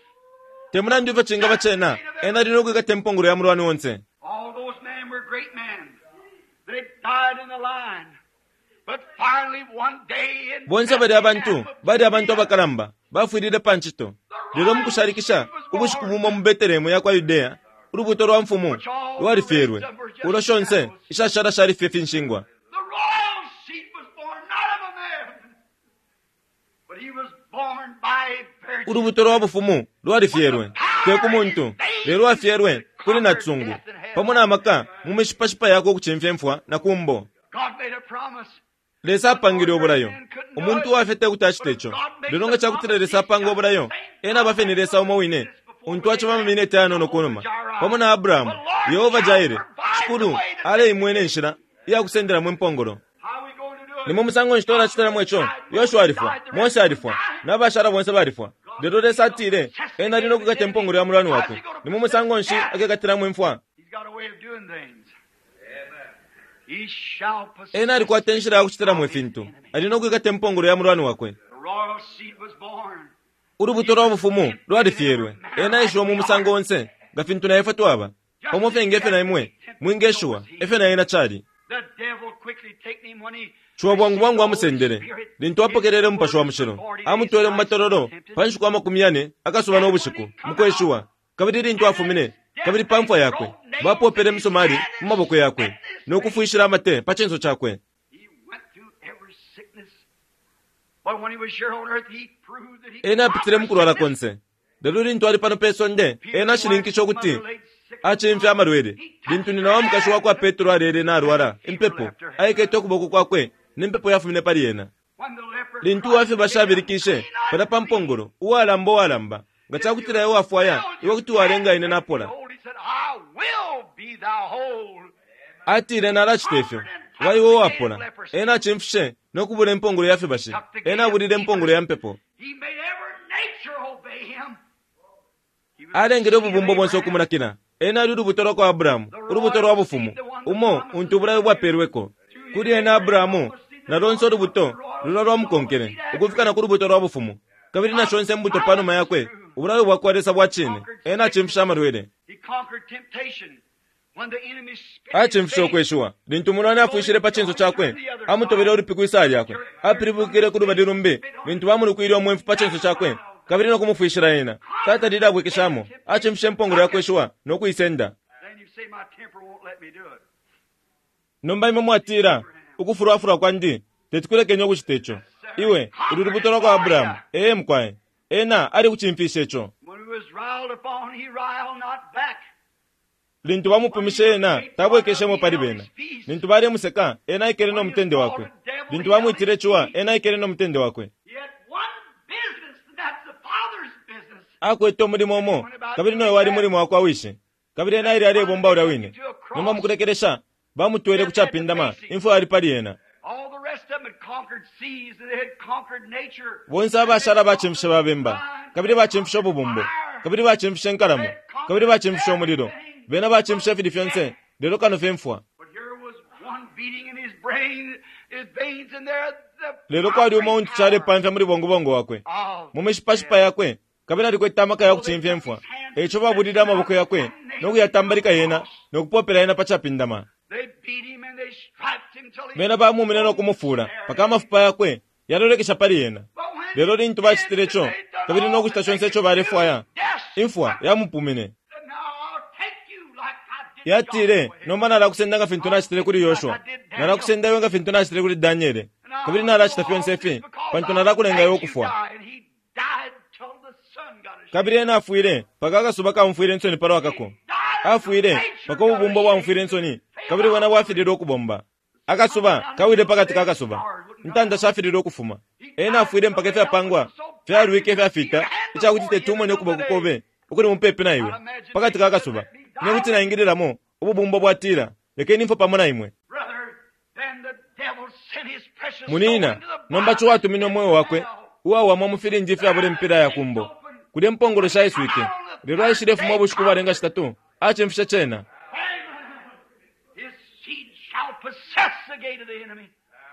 Te mulandu ifyo cingaba cena, ena ali no kwikata impongolo ya mulwani onse. all those men were great men. They died in the line. But finally one day in Bonse balya abantu bali abantu abakalamba bafwilile pa ncito. Lelo mu kushalikisha, ubushiku bumo mu Betelehemu ya kwa Yudea, Ulubuto lwa mfumu lwalifyelwe, ulo shonse ishashala shali fye finshingwa. The royal seed was born not of a man, but he was born by a virgin. Ulubuto lwa bufumu lwalifyelwe, te ku muntu, lelo lwafyelwe kuli natsungu, pamo na maka mu mishipashipa yakwe ukucimfya imfwa na kumbo. God made a promise. Lesa apangile ubulayo. Umuntu uwafye te kuti acite ico. Lelo nga cakutila Lesa apanga ubulayo, ena aba fye ni Lesa umo wine, untu aciba amamineti ayanono kunuma. Pamo na Abrahamu, Yehova Jaire, Shikulu aleimwena inshila iya kusendelamo impongolo. How are we going to do it? Ni mu musango nshi twalacitilamo ico? Yoshua alifwa, Mose alifwa, n'abashala bonse balifwa. Lelo Lesa atile, ena ali no kukata impongolo ya mulwani wakwe. Ni mu musango nshi akekatilamo imfwa? He's got a way of doing things. He shall possess Ena alikwata inshila ya kucitilamo ifintu. Ali no kwikata impongolo ya mulwani wakwe. The royal seed was born. Ulubuto lwa bufumu lwalifyelwe. Ena aishiwa mu musango onse, nga fintu na ifwe twaba. Pamo fye nge fyo na imwe, mwingeshiwa, efyo na ena cali. The devil quickly taken him when he Ciwa bwangu bwangu amusendele. Lintu apokelele umupashi wa mushilo, amutwele mu matololo pa nshiku 40 akasuba no bushiku, mu kweshiwa. Kabili lintu afumine, kabili pa mfwa yakwe, bapopele imisomali mu maboko yakwe, no kufwishila amate pa cinso cakwe. He went through every sickness. But when he was here on earth, he proved that he Ena apitile mu kulwala konse. Lelo lintu ali pano pe sonde, ena ashininkishe ukuti acimfya amalwele. Lintu nyina wa mukashi wa kwa Petro alele nalwala impepo, aikete ukuboko kwakwe, ne mpepo yafumine pali ena. When the leper Lintu uwafye bashabilikishe palya pa mpongolo, uwalamba uwalamba, nga cakutila iwe wafwaya, iwe kuti walenga ine napola. He said, I will be thou whole. Atile nalacita ifyo, waiwe uwapola. Ena acimfishe no kubula impongolo ya fibashi. Ena abulile impongolo ya mpepo. He made every nature obey him. He was Alengele the seed of ububumbo bonse Abraham. ukumunakila. Ena ali ulubuto lwa kwa Abrahamu, ulubuto lwa bufumu, umo untu ubulayo bwapelweko. Kuli ena Abrahamu, na lonse ulubuto lulwa lwamukonkele, ukufika na ku lubuto lwa bufumu. Kabili na shonse imbuto pa numa yakwe, ubulayo bwa kwa Lesa bwa cine. Ena acimfishe amalwele. He conquered temptation. When the enemy spit in his Acimfishe face, ukweshiwa. Lintu umulwani afwishile pa cinso cakwe, amutobele ulupi kwi lyakwe. Apilibukile ku lubali lumbi, lintu bamulukwile umwemfu pa cinso cakwe, kabili no kumufwishila ena. Tatalile abwekeshamo, acimfishe impongolo ya kweshiwa no kuisenda. Then you say, my temper won't let me do it. Nomba imwe mwatila, ukufulwafulwa kwandi, tetikulekenya ukucita ico. Iwe, uli lubuto lwa kwa Abrahamu, ee mukwaye. Ena ali kucimfisha ico. When he was riled upon, he riled not back. Lintu bamupumishe ena, tabwekeshemo pali bena. Lintu balemuseka, ena aikele no mutende wakwe. Lintu bamwitile ciwa, ena aikele no mutende wakwe. He had one business, and that's the Father's business. Akwete umulimo umo, kabili noyo wali mulimo wakwa wishi. Kabili ena aile alebomba ulya wine. Nomba mukulekelesha, bamutwele ku capindama, imfwa yali pali ena. All the rest of them had conquered seas and they had conquered nature. Bonse abashala bacimfishe babemba, kabili bacimfishe ububumbo, kabili bacimfishe inkalamo, kabili bacimfishe umulilo. Bena bacimfishe ifili fyonse, lelo kano fye imfwa. But here was one beating in his brain, his veins in there. The Lelo kwali umo untu calepamfya muli bongobongo wakwe, of mu mishipashipa yakwe, kabili alikwete amaka ya kucimfya imfwa. Eico babulile amaboko yakwe, no kuyatambalika yena, no kupopela yena pa capindama. They beat him and they striped him till he Bena bamumine no kumufula, paka amafupa yakwe yalolekesha pali yena. But when Lelo lintu bacitile ico, kabili no kucita conse ico balefwaya, death imfwa yamupumine. said, Now I'll take you like I did Yatile, Joshua. nomba nalakusenda nga fintu nacitile kuli Yoshua, nalakusenda iwe nga fintu nacitile kuli Daniele, And I'll kabili do nalacita all fyonse this ifi, because pantu I nalakulenga iwe let you ukufwa. die. And he died till the sun got his Kabili ena afwile, paka akasuba kamufwile insoni palwa kako. Afwile, paka ububumbo bwamufwile insoni, kabili bwena bwafililwe ukubomba. Akasuba kawile pakati ka kasuba, intanda shafililwe ukufuma. Ena afwile mpaka ifyapangwa fyalwike ifyafita, icakuti tetumone ukuboko kobe ukuli mupepi na iwe, pakati ka kasuba. Ine kuti naingililamo, ububumbo bwatila, lekeni imfwe pamo na imwe. Brother, then the devil sent his precious soul Munina, into the nomba bottomless ciwatumine umweo wakwe, hell. uwawamwa mu filindi ifyabula impila ya kumbo. Kulya impongolo shaiswike, lelo aishilefuma ubushiku bwalenga shitatu, acimfishe cena. Amen. His seed shall possess the gate of the enemy.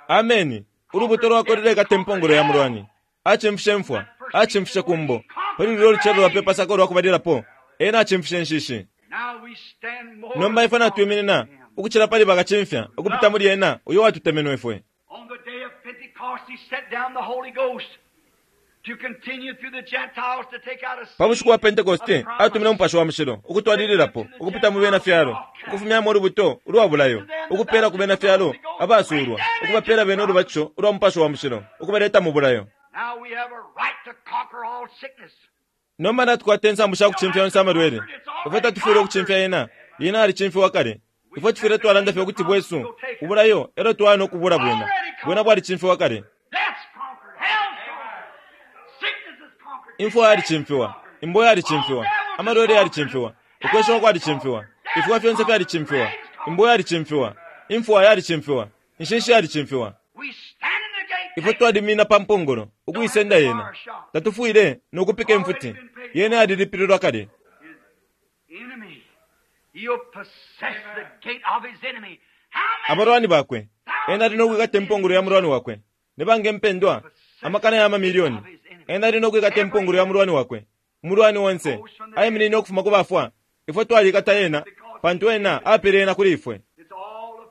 Ameni. Ulubuto lwakwe lulekata impongolo ya mulwani. Acimfishe mfwa, acimfishe kumbo. Pali lulyo lucelo lwa pe pasaka ulwakubalilapo, ena acimfishe nshishi. Now we stand more Nomba ifwe natwiminina, ukucila pali bakacimfya, ukupita muli ena, uyo watutemenwe ifwe. On the day of Pentecost, he set down the Holy Ghost. Pa bushiku bwa Pentekoste atumine Umupashi wa Mushilo ukutwalililapo ukupita mu bena fyalo, ukufumyamo ulubuto ulwa bulayo, ukupela ku bena fyalo abasuulwa, ukubapela bena ulubatisho ulwa Mupashi wa Mushilo, ukubaleta mu bulayo. Nomba natukwata insambu sha kucimfya yonse amalwele. Ifwe tatufwile ukucimfya yena, yena alicimfiwa kale. Ifwe tufwile twalanda fye ukuti bwesu ubulayo e lyo twaya no kubula bwena. Bwena bwalicimfiwa kale. Imfwa yalicimfiwa, imbo yalicimfiwa, amalwele yalicimfiwa, ukweshiwa kwalicimfiwa, ifiwa fyonse fyalicimfiwa, imbo yalicimfiwa, imfwa yalicimfiwa, inshinshi yalicimfiwa. Ifwe twalimina pa mpongolo ukuisenda yena. Tatufwile no kupika imfuti, yena yalilipililwa kale. Abalwani bakwe, ena ali no kwikata impongolo ya mulwani wakwe. Ni banga impendwa? Amakana ya mamilioni. Ena ali no kwikata impongolo ya mulwani wakwe. Umulwani onse aiminine ukufuma ku bafwa. Ifwe twalikata yena, pantu ena apele yena kuli ifwe.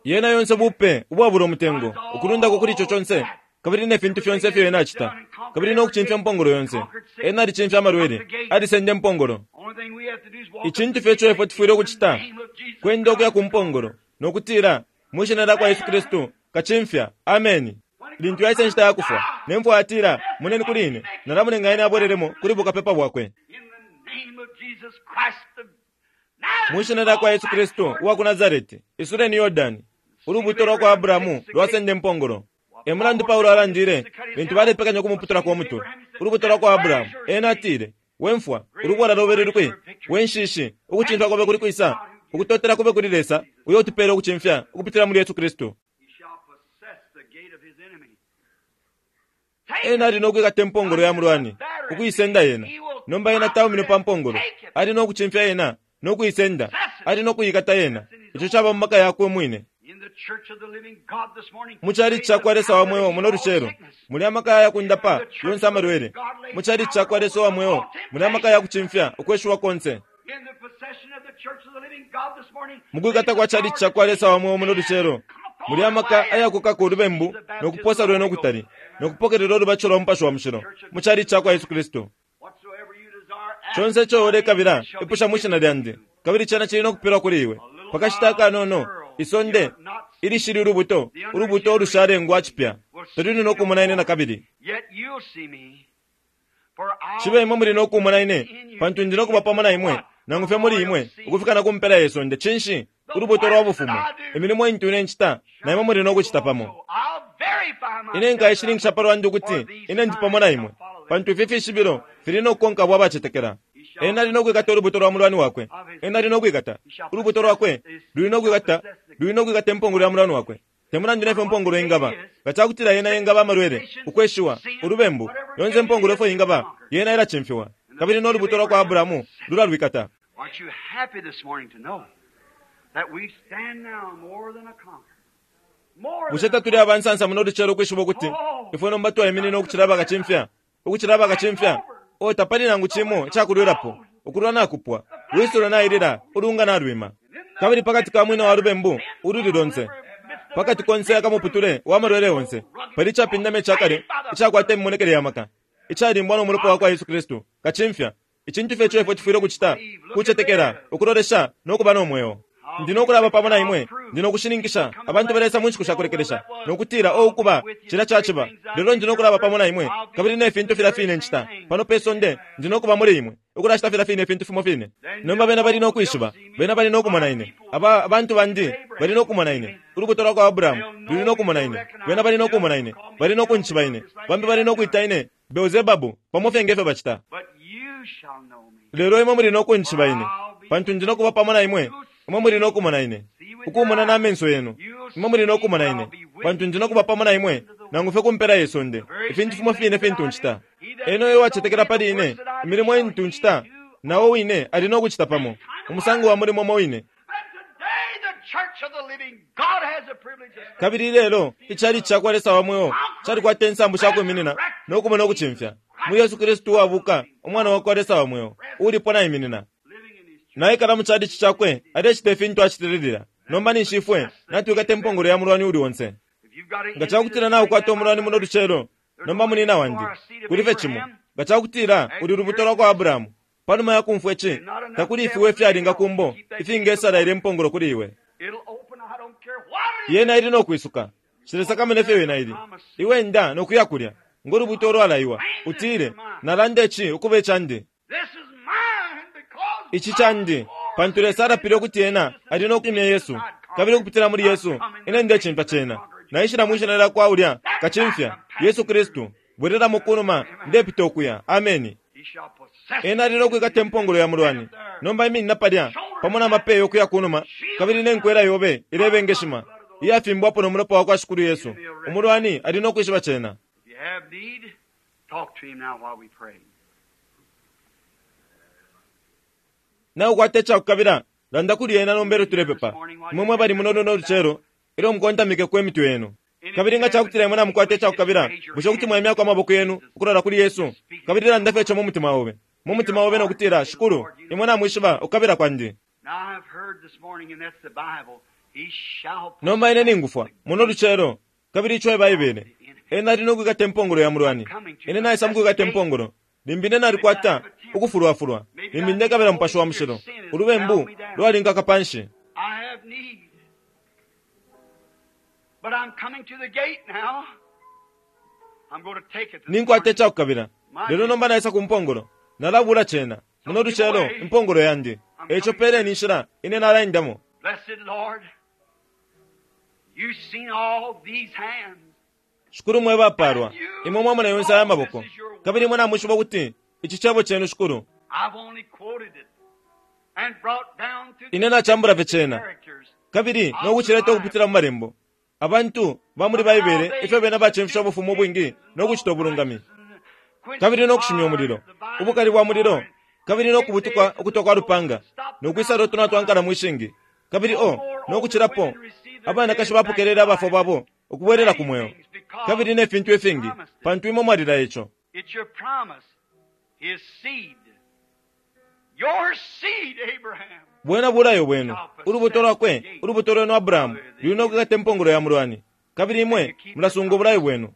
Yena yonse bupe ubwabula umutengo, ukulundako kuli ico conse, kabili ne fintu fyonse ifyo ena acita, kabili no kucimfya mpongolo yonse. Ena alicimfya amalwele, alisenda impongolo. Icintu fye ico ifwe tufwile ukucita kwenda ukuya ku mpongolo no kutila, mwi shina lya kwa Yesu Kristu, kacimfya. Ameni. Lintu yaisa inshita ya kufwa, ne mfwa yatila, Moneni kuli ine, nalamulenga ine abwelelemo kuli bukapepa bwakwe. Mwi shina lya kwa Yesu Kristu uwa ku Nasareti, isuleni Yordani. Ulubuto lwa kwa Abrahamu lwasenda impongolo. E mulandu Paulo alandile lintu balepekanya ukumuputulako umutwe. Ulubuto lwa kwa Abrahamu, ena atile, We mfwa, ulubola lobe luli kwi? We nshishi, ukucimfya kobe kuli kwisa? Ukutotela kube kuli Lesa, uyo utupeela ukucimfya ukupitila muli Yesu Kristu. Ena ali no kwikata impongolo ya mulwani, ukuisenda yena. Nomba ena taumine pa mpongolo, ali no kucimfya yena no kuisenda, ali no kuikata yena. Ico caba mu maka yakwe umwine. Mu chalichi ca kwa Lesa wa mweo muno lucelo muli amaka aya kundapa yonse amalwele. Mu chalichi ca kwa Lesa wa mweo muli amaka ya kucimfya ukweshiwa konse. Mu kwikata kwa chalichi ca kwa Lesa wa mweo muno lucelo muli amaka aya kukaka ulubembu no kuposa lwena ukutali no kupokelela ulubatisho lwa Mupashi wa Mushilo mu chalichi ca kwa Yesu Kristu. Conse ico ulekabila, ipusha mwi shina lyandi, kabili cena cili no kupelwa kuli iwe. Pa kashita akanono, isonde ilishili ulubuto, ulubuto ulushalengwa cipya, taluli no kumona ine na kabili. Cibe imwe muli no kumona ine, pantu ndi no kuba pamo na imwe, nangu fye muli imwe, ukufika na ku mpela ye sonde. Cinshi? Ulubuto lwa Bufumu. Imilimo intu ine ncita, na imwe muli no kucita pamo. Ine nkaishininkisha pa lwandi ukuti ine ndi pamo na imwe, pantu ifi fishibilo fili no kukonka abo abacetekela. Ena ali no kwikata ulubuto lwa mulwani wakwe. Ena ali no kwikata ulubuto lwakwe, luli no kwikata, luli no kwikata impongolo ya mulwani wakwe. Te mulandu nefyo impongolo ingaba, nga ca kutila yena ingaba amalwele, ukweshiwa, ulubembu, yonse impongolo ifyo ingaba, yena ilacimfiwa. Kabili no lubuto lwa kwa Abrahamu lulalwikata. Aren't you happy this morning to know that we stand now more than a conqueror? More Bushe than a tatuli abansansa muno lucelo ukwishiba ukuti ifwe nomba twaiminina ukucila abakacimfya, ukucila abakacimfya? O tapali nangu cimo icakulwilapo, ukulwa nakupwa, lwisulo nailila, ulunga nalwima. Kabili pakati ka mwina wa lubembu ululi lonse, pakati konse akamuputule wa malwele yonse, pali icapindama icakale icakwata imimonekele ya maka, icalimbwa no mulopa wa kwa Yesu Kristu, kacimfya. Icintu fye ico ifwe tufwile ukucita kucetekela, ukulolesha no kuba no mweo. Ndi no kulaba pamo na imwe, ndi no kushininkisha abantu balesa mu nshiku sha kulekelesha no kutila, o ukuba cilya caciba, lelo ndi no kulaba pamo na imwe, kabili ne fintu filya fine ncita pano pe sonde, ndi no kuba muli imwe, ukulacita filya fine ifintu fimo fine. Nomba bena bali no kwishiba, bena bali no kumona ine, aba abantu bandi bali no kumona ine, ulubuto lwa kwa Abrahamu luli no kumona ine, bena bali no kumona ine, bali no kuncishiba ine, bambi bali no kwita ine Beelzebabu, pamo fye nge fyo bacita. But you shall know me. Lelo imwe muli no kuncishiba ine, pantu ndi no kuba pamo na imwe, imwe muli no kumona ine, ukumona na menso yenu. Imwe muli no kumona ine, pantu ndi no kuba pamo na imwe, nangu fye ku mpela ye sonde, ifintu fimo fine fintu ncita. Ena uyo uwacetekela pali ine, imilimo intu ncita, na o wine ali no kucita pamo, umusango wa mulimo umo wine. And today the church of the living God has the privilege of Kabili lelo ichalichi ca kwa Lesa wa mweo calikwata insambu sha kwiminina no kumona ukucimfya muli Yesu Kristu uwabuka, Umwana wa kwa Lesa wa mweo, uulipo naiminina. living in his church. Naikala mu chalichi cakwe, alecita ifintu acitililila. Nomba ninshi ifwe natwikata impongolo ya mulwani uli onse. If you've got an Nga cakutila naukwata umulwani muno lucelo, nomba munina wandi, kuli fye cimo. Nga cakutila uli lubuto lwa kwa Abrahamu, panuma ya kumfwa ici, takuli ifiwa ifyalinga kumbo ifingesala ilya impongolo kuli iwe. Yena ili no kwisuka. Nshilesakamana ifyo yena ili. Iwe enda no kuya kulya, ngo lubuto ulwalaiwa. Utile, Nalanda ici ukuba icandi. Ici candi, pantu Lesa alapile ukuti Ena ali no kwimya Yesu, kabili ukupitila muli Yesu, ine ndecimfya cena. Naishila mwi Shina lyakwa ulya Kacimfya, Yesu Kristu. Bwelelamo kunuma, ndepita ukuya. Ameni. Ena ali no kwikata impongolo ya mulwani. Nomba iminina palya, pamo na mapeyo ukuya kunuma, kabili ne nkwela yobe ilebengeshima, iyafimbwapo no mulopa wakwa Shikulu Yesu. Umulwani ali no kwishiba cena. Naukwata icakukabila, landa kuli ena nomba ilyo tulepepa. Imwe mwe bali muno luno lucelo, ilyo mukontamikeko imitwe yenu. Kabili nga cakutila imwe namukwata icakukabila, bushe kuti mwaimyako amaboko yenu ukulola kuli Yesu, kabili landa fye ico mu mutima obe, mu mutima obe no kutila, Shikulu, imwe namwishiba ukukabila kwandi. Nomba ine ningufwa, muno lucelo, kabili ico e Baibele. Ena ali no kwikata impongolo ya mulwani. Ine naisa mu kwikata impongolo. Limbi ine nalikwata ukufulwafulwa. Limbi ndekabila Mupashi wa Mushilo. Ulubembu lwalinkaka panshi. Ninkwata icakukabila, lelo nomba naisa ku mpongolo. Nalabula cena, muno lucelo, impongolo yandi. Eico peleni inshila, ine nalaendamo. Shikulu mwe bapalwa, imwe mwamona yonse aya maboko, kabili imwe namwishiba ukuti ici cebo cenu, Shikulu. Ine nacambula fye cena, kabili no kucileta ukupitila mu Malembo. Abantu ba muli Baibele ifyo bena bacimfisha ubufumu ubwingi no kucita ubulungami, kabili no kushimya umulilo, ubukali bwa mulilo, kabili no kubutuka ukutwa kwa lupanga, no kwisala utunwa twa nkalamo ishingi, kabili o no kucilapo, abanakashi bapokelele abafwa babo ukubwelela ku mweo, kabili ne fintu ifingi, pantu imwe mwalilaya ico. Bwena bulayo bwenu, ulubuto lwakwe, ulubuto lwenu Abrahamu, luli no kwikata impongolo ya mulwani, kabili imwe mulasunga ubulayo bwenu.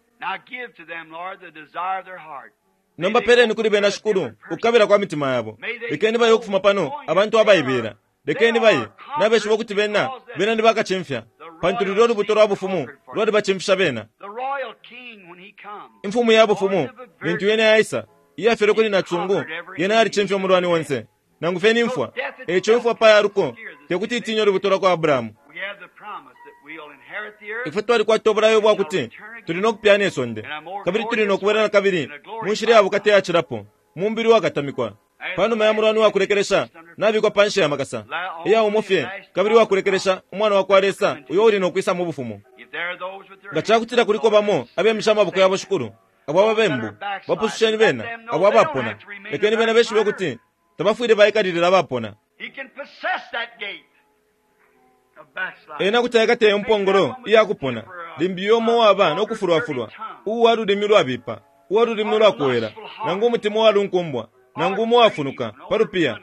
Nomba peleni kuli bena, Shikulu, ukukabila kwa mitima yabo. Lekeni baye ukufuma pano, abantu abaibela. Lekeni baye, nabeshiba ukuti bena, bena ni bakacimfya, pantu lulya ulubuto lwa bufumu lwalibacimfisha bena. Imfumu ya bufumu, lintu yena yaisa, iyafyelwe kuli nacisungu, yena yalicimfya umulwani onse, nangu fye ni mfwa. Eico imfwa pa yaluko tekuti itinye ulubuto lwa kwa Abrahamu. Ifwe twalikwata ubulayo bwa kuti tuli no kupyana isonde, kabili tuli no kubwela na kabili mu nshila ya bukata iyacilapo, mu mubili uwakatamikwa. Pa numa ya mulwani wa kulekelesha nabikwa pa nshi ya makasa, iya umo fye kabili uwa kulekelesha, Umwana wa kwa Lesa uyo uli no kwisa mu Bufumu. Nga ca kutila kuliko bamo abemisha amaboko yabo, Shikulu, abo ababembu, bapususheni bena, abo abapona. Lekeni bena beshibe ukuti tabafwile baikalilila abapona. Ena kuti aikata iyo mpongolo iya kupona, limbi uyo umo uwaba no kufulwafulwa, uwa lulimi lwabipa, uwa lulimi ulwakowela, nangu umutima uwalunkumbwa, nangu umo uwafunuka pa lupiya.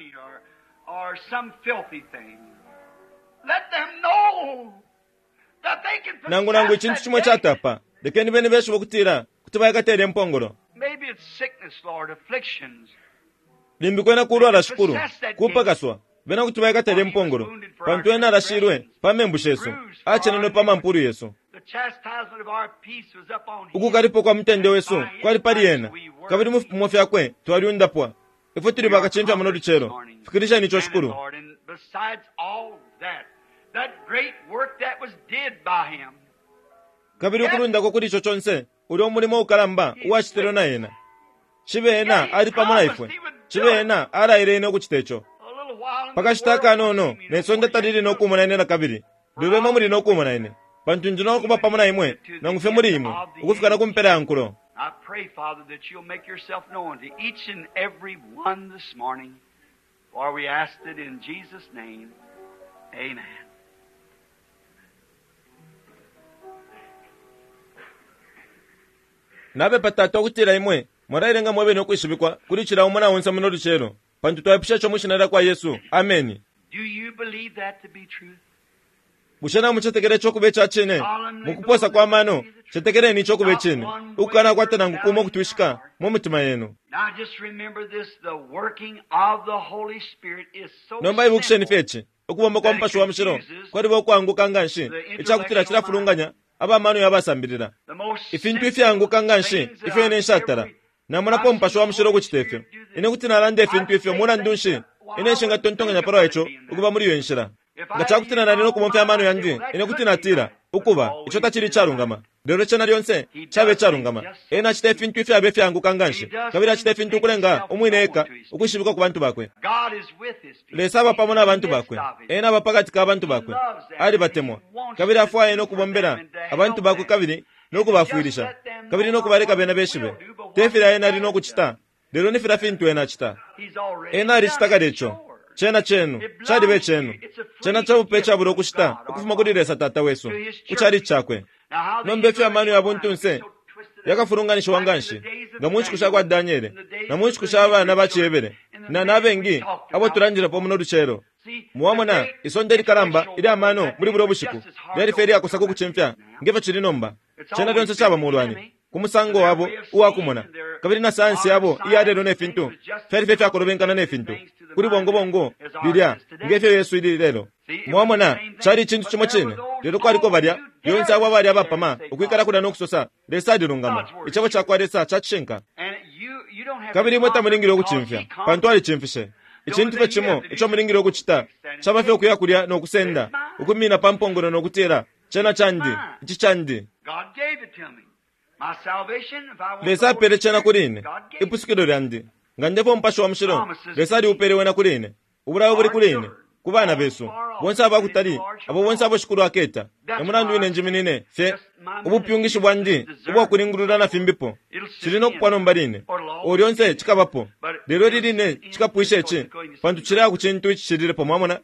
Nangu nangu icintu cimo icatapa, lekeni bene beshibe ukutila kuti baikata ilya mpongolo. Limbi kwena kulwala, Shikulu, kupakaswa, bena kuti baikata ilya mpongolo, pantu ena alashilwe pa membu shesu, acenenwe pa mampulu yesu. Ukukalipwa kwa mutende wesu kwali pali ena, kabili mu fipimo fyakwe twalyundapwa. Ifwe tuli bakacimfya muno lucelo. Fikilisheni ico, Shikulu. Kabili ukulundako kuli ico conse, ulya umulimo ukalamba uwacitilwe na ena. Cibe ena ali pamo na ifwe. Cibe ena alaile ine ukucita ico. Pa kashita akanono ne sonde talili no kumona ine na kabili, lelo imwe muli no kumona ine, pantu ndi no kuba pamo na imwe, nangu fye muli imwe, ukufika na ku mpela ya nkulo. I pray, Father, that you'll make yourself known to each and every one this morning, for we ask it in Jesus' name. Amen. Napepa, Tata, ukutila imwe mwalailenga mwebene ukwishibikwa kuli cila umo na onse muno lucelo, pantu twaipusha ico mwi Shina lyakwa Yesu. Ameni. Do you believe that to be true? Bushe namucetekela ico kuba ica cine? Mukuposa kwa mano, cetekeleni ico kuba icine, ukukanakwata nangu kumo ukutwishika mu mitima yenu. Nomba ibukisheni fye ici, ukubomba kwa Mupashi wa Mushilo kwaliba ukwanguka nga nshi ica kutila cilafulunganya aba mano yabasambilila. Ifintu ifyaanguka nga nshi ifyo ine nshatala namonapo Mupashi wa Mushilo ukucita ifyo. Ine kuti nalanda ifintu ifyo mulandu nshi ine nshingatontonkanya palwa ico ukuba muli iyo nshila. Nga ca kutila nali no kubomfya amano yandi, ine kuti natila, Ukuba, ico tacili icalungama. Lelo cena lyonse caba icalungama. Ena acita ifintu ifyaba ifyaanguka nga nshi, kabili acita ifintu ukulenga umwine eka ukwishibikwa ku bantu bakwe. Lesa aba pamo na bantu bakwe. Ena aba pakati ka bantu bakwe. Alibatemwa, kabili afwaya ena ukubombela abantu bakwe kabili no kubafwilisha, kabili no kubaleka bena beshibe. Te filya ena ali no kucita, lelo ni filya fintu ena acita. Ena alicita kale ico. Cena cenu. Caliba icenu. Cena cabupe icabula ukushita ukufuma kuli Lesa Tata wesu, ku chalichi Cakwe. Nomba ifyo amano ya buntunse yakafulunganishiwa nganshi, nga mu nshiku sha kwa Daniele, na mu nshiku sha bana ba ciHebere, na, na bengi abo tulandilepo muno lucelo. Mwamona, isonde likalamba ilya mano muli bulyo bushiku lyali fye ilyakosa ku kucimfya nge fyo cili nomba. Cena lyonse caba mulwani, ku musango wabo uwa kumona, kabili na sayansi yabo iya lelo ne fintu fyali fye fyakolobenkana ne fintu kuli bongobongo lilya nge fyo Yesu ili lelo. Mwamona, cali icintu cimo cine, lelo kwaliko balya lyonse abo abali abapama ukwikala kulya no kusosa, Lesa alilungama, Icebo cakwa Lesa ca cishinka. Kabili imwe tamulingile ukucimfya, pantu alicimfishe. Icintu fye cimo ico mulingile ukucita caba fye ukuya kulya no kusenda, ukwimina pa mpongolo no kutila, Cena candi, ici candi. Lesa apele cena kuli ine, ipusukilo lyandi. Nga ndefwa Umupashi wa Mushilo, Lesa aliupele wena kuli ine. Ubulayo buli kuli ine, ku bana besu, bonse aba kutali, abo bonse abo Shikulu aketa. E mulandu wine njiminine fye ubupyungishi bwandi ubwa kulingulula na fimbipo. Cili no kupwa nomba line. O lyonse cikabapo. Lelo ili line cikapwisha ici, pantu cileya ku cintu icicililepo, mwamona.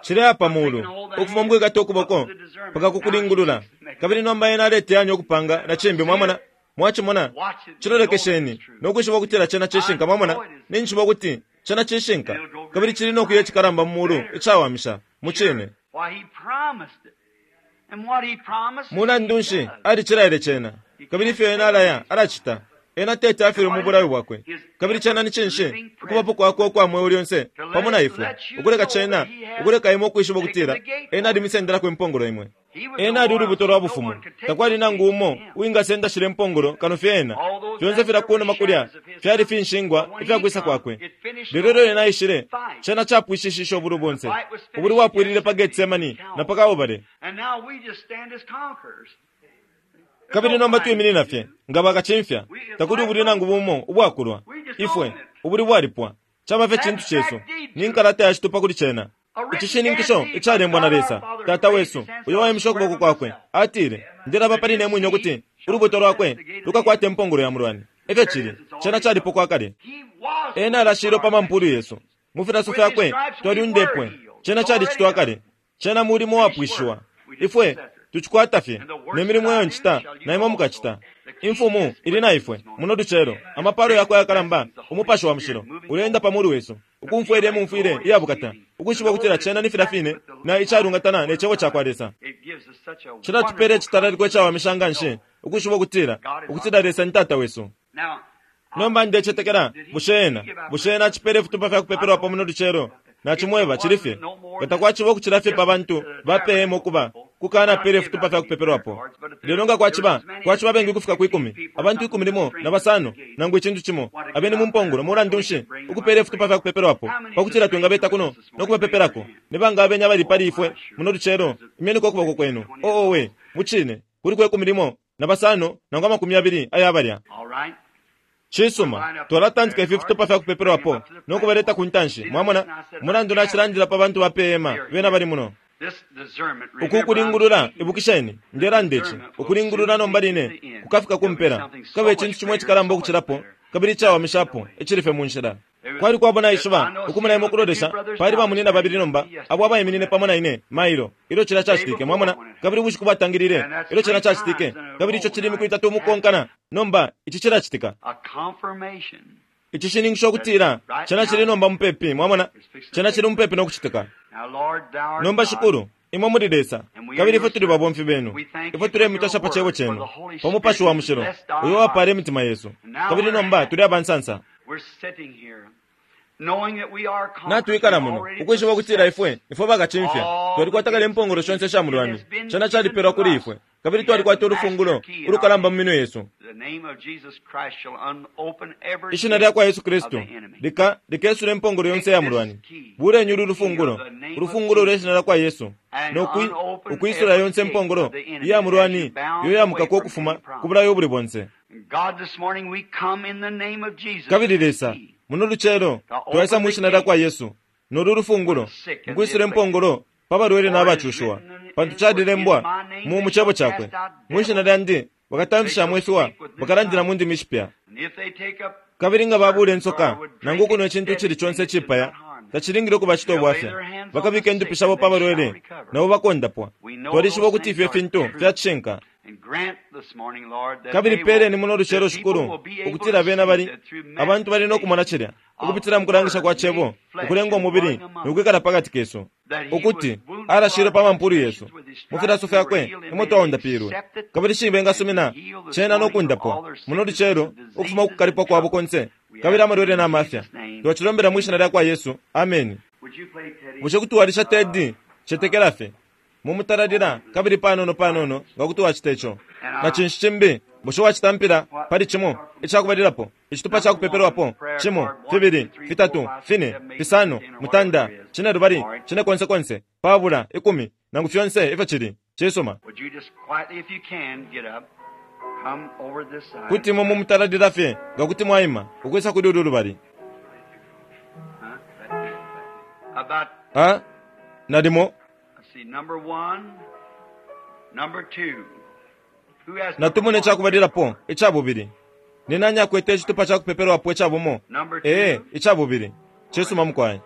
Cileya pa mulu, ukufuma mukwikata ukuboko mpaka ku kulingulula. Kabili nomba ena aleteyanya ukupanga na cimbi, mwamona. Mwacimona? Cilolekesheni no kwishiba ukutila cena cishinka, mwamona. Ninjishiba ukuti cena cishinka, kabili cili no kuya icikalamba mu mulu icawamisha, mucine. Mulandu nshi, alicilaile cena, kabili ifyo ena alaya, alacita. Ena teti afilwe mu bulayo bwakwe. Kabili cena ni cinshi? Ukubapo kwakwe ukwa mweo lyonse pamo na ifwe, ukuleka cena, ukuleka imwe ukwishiba ukutila ena alimisendelako impongolo imwe. Ena ali ulubuto lwa bufumu. Takwali nangu umo uwingasenda shilya impongolo kano fye ena. Fyonse filya kunuma kulya fyali finshingwa ifya kwisa kwakwe. Lelo ilyo ena aishile, cena capwishishishe ubulwi bonse. Ubulwi bwapwilile pa Getsemani na pa Kalbale. Kabili nomba twiminina fye nga bakacimfya. Takuli ubulwi nangu bumo ubwakulwa. Ifwe, ubulwi bwalipwa. Caba fye cintu cesu. Ni nkalata ya citupa kuli cena. Icishininkisho icalembwa na Lesa, Tata wesu, uyo waimishe ukuboko kwakwe, atile, Ndelaba pali ne mwine ukuti ulubuto lwakwe lukakwata impongolo ya mulwani. E fyo cili. Cena calipokwa kale. Ena alashilwe pa mampulu yesu. Mu filaso fyakwe twalyundepwe. Cena calicitwa kale. Cena mulimo uwapwishiwa. Ifwe tucikwata fye. Ne milimo iyo ncita, na imwe mukacita. Imfumu ili na ifwe muno lucelo. Amapalo yakwe ayakalamba, Umupashi wa Mushilo, uleenda pa mulu wesu, ukumfwa ilye mumfwile iya bukata, ukwishiba ukutila cena ni filya fine na icalungatana ne Cebo cakwa Lesa. Cilatupela icitalaliko icawamisha nganshi ukwishiba ukutila, ukutila Lesa ni Tata wesu. Nomba ndecetekela, bushe Ena, bushe Ena acipela ifitupa fya kupepelwapo muno lucelo? Nacimweba, cili fye. Nga takwaciba ukucila fye pa bantu ba pe hema ukuba, kukanapela ifitupa fya kupepelwapo. Lelo nga kwaciba, kwaciba abengi ukufika kwi kumi, abantu ikumi limo na basano, nangu icintu cimo, abeni mu mpongolo, mulandu nshi, ukupela ifitupa fya kupepelwapo, pa kutila twingabeta kuno no kubapepelako. Ni banga abeni abali pali ifwe muno lucelo? Imyeniko ukuboko kwenu. Oh, owe, mucine, kuliko ikumi limo na basano nangu amakumi yabili aya balya. Cisuma, twalatantika ifi fitupa fya kupepelwapo no kubaleta ku ntanshi. Mwamona? Mulandu nacilandila pa bantu ba pe hema, bena bali muno. Uku kulingulula, ibukisheni, ndelanda ici, ukulingulula nomba line kukafika ku mpela. Kukaba icintu cimo icikalamba ukucilapo, kabili icawamishapo, icili fye mu nshila. Kwali kwabo naishiba, ukumona imwe ukulolesha, pali bamunyina babili nomba, abo abaiminine pamo na ine, mailo, ilyo cilya cacitike, mwamona, kabili ubushiku bwatangilile, ilyo cilya cacitike, kabili ico cili imiku itatu umukonkana, nomba ici cilacitika. Icishininkisho ukutila cena cili nomba mupepi, mwamona, cena cili mupepi no kucitika. Nomba, Shikulu, Imwe muli Lesa, kabili ifwe tuli babomfi benu. Ifwe tulemutasha pa cebo cenu, pa Mupashi wa Mushilo uyo wapala imitima yesu. Kabili nomba tuli abansansa. Natwikala muno ukwishiba ukutila ifwe ifwe bakacimfya. Twalikwata kale impongolo shonse sha mulwani, cena calipelwa kuli ifwe, kabili twalikwata ulufungulo ulukalamba mu minwe yesu. Ishina lya kwa Yesu Kristu lika likesula impongolo yonse ya mulwani. Buleni ulu lufungulo, ulufungulo lwe shina lya kwa Yesu, no ukwisula yonse impongolo iya mulwani iyo yamukako ukufuma ku bulayo ubuli bonse. Kabili Lesa, muno lucelo twaisa mwi shina lya kwa Yesu nolu lufungulo mukwisula impongolo pa balwele n'abacushiwa, pantu calilembwa mu cebo cakwe, mwi shina lyandi bakatamfishamo ifiwa, bakalandila mu ndimi ishipya. Kabili nga babula insoka nangu ukunwa icintu icili conse icipaya, tacilingile ukubacita ubwafya. Bakabika indupi shabo pa balwele, nabo bakondapwa. Twalishiba ukuti ifyo fintu fyacishinka. Kabili peleni muno lucelo, Shikulu, ukutila bena bali abantu bali no kumona cilya ukupitila mukulangisha kwa cebo ukulenga umubili nokwikala pakati kesu, ukuti alashilwe pa mampulu yesu, mu filaso fyakwe emo twaundapilwe. Kabili shi bengasumina cena no kundapwa muno lucelo ukufuma ukukalipwa kwabo konse kabili amalwele na mafya. Twacilombela mwi shina lya kwa Yesu, ameni. Bushe kuti walisha Tedi? Cetekela fye mumutalalila kabili panono panono nga kuti wacita ico. Na cinshi cimbi bushe wacitampila pali cimo icakubalilapo, icitupa cakupepelwapo cimo, fibili, fitatu, fine, fisano, mutanda, cine lubali, cine konse konse, pabula, ikumi, nangu fyonse ifyo cili. Cisuma. Kuti imwe mumutalalila fye nga kuti mwaima ukwisa kuli ulu lubali. Ha? Nalimo natumone icakubalilapo icabubili. Ni nani akwete icitupa ca kupepelwapo icabumo? Ee, icabubili. Cisuma mukwai.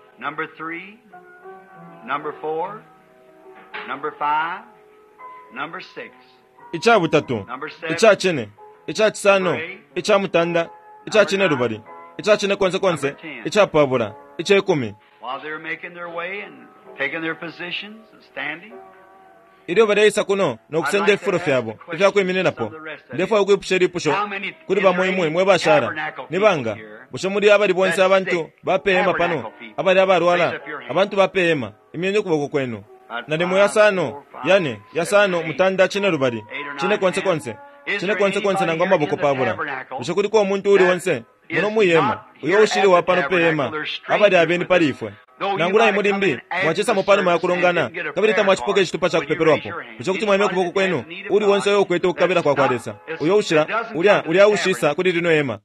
Icabutatu, icacine, icacisano, icamutanda, icacine lubali, icacine konse konse, icapabula, icekumi. Ilyo baleisa kuno no kusenda ififulo fyabo ifya kwimininapo, ndefwaya ukwipusha ilipusho kuli bamo imwe mwe bashala. Ni banga bushe muli abali bonse abantu ba pe hema pano abali abalwala? Abantu ba pe hema, imyeni ukuboko kwenu. Nalimo yasano, yane, yasano, mutanda, cine lubali, cine konse konse, cine konse konse nangu amaboko pabula. Bushe kuliko umuntu uli onse muno mwi hema uyo ushili wa pano pe hema abali abeni pali ifwe? Nangula imwe limbi mwacisamo panuma ya kulongana kabili tamwacipoka icitupa ca kupepelwapo, bushe kuti mwaimya ukuboko kwenu? Uli onse uyo ukwete ukukabila kwa kwa Lesa, uyo ushila ulya ulya ushisa kuli lino hema.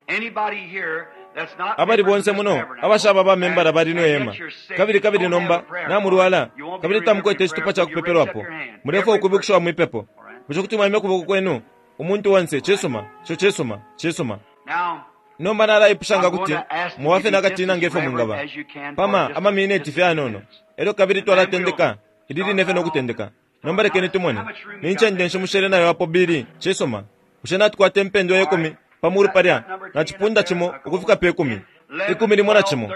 Abali bonse muno abashaba ba membala ba lino hema, kabili kabili nomba namulwala kabili tamukwete icitupa ca kupepelwapo, mulefwaya ukwibukishiwa mwipepo, bushe kuti mwaimya ukuboko kwenu? Umuntu onse, cisuma, ico cisuma, cisuma. Nomba nalaipusha nga kuti mubafe nakatina nge fyo mwingaba pama amamineti fye anono, elyo kabili twalatendeka ili line fye no kutendeka. Nomba lekeni tumone ni ncende nshi mushele nayo apo bili. Cisuma, bushe natukwata impendwa ye kumi pa mulu palya na cipunda cimo ukufika pe kumi, ikumi limo na cimo,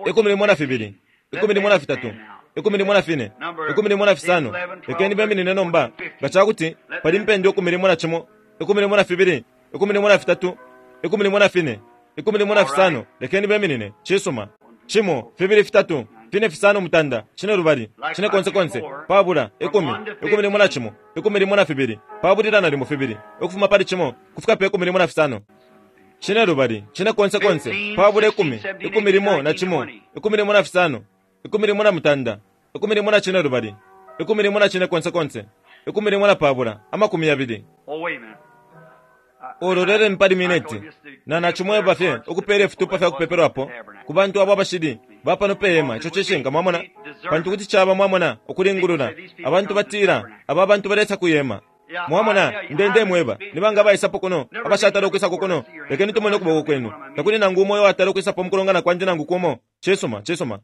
ikumi limo na fibili, ikumi limo na fitatu, ikumi limo na fine, ikumi limo na fisano. Lekeni beminine nomba nga ca kuti pali impendwa ikumi limo na cimo, ikumi limo na fibili, ikumi limo na fitatu, ikumi limo na fine, ikumi limo na fisano. Lekeni beminine. Cisuma. Cimo, fibili, fitatu, fine, fisano, mutanda, cine lubali, cine konse konse, pabula, ikumi, ikumi limo na cimo, ikumi limo na fibili, pabulila na limo fibili, ukufuma pali cimo kufika pe ikumi limo na fisano. Cine lubali, cine konse konse, pabula, ikumi, ikumi limo na cimo, ikumi limo na fisano, ikumi limo na mutanda, ikumi limo na cine lubali, ikumi limo na cine konse konse, ikumi limo na pabula, amakumi yabili. Uloleleni pali mineti na nacimweba fye ukupeela ifitupa fya kupepelwapo ku bantu abo abashili ba pano pe hema. Ico cishinka, mwamona, pantu kuti caba, mwamona, ukulingulula. Abantu batila aba bantu balesa ku hema. Mwamona, nde ndemweba, ni banga abaisapo kuno abashatala ukwisako kuno? Lekeni tumone ukuboko kwenu. Takuli nangu umo uyo watala ukwisapo mukulongana kwandi nangu kumo. Cisuma, cisuma.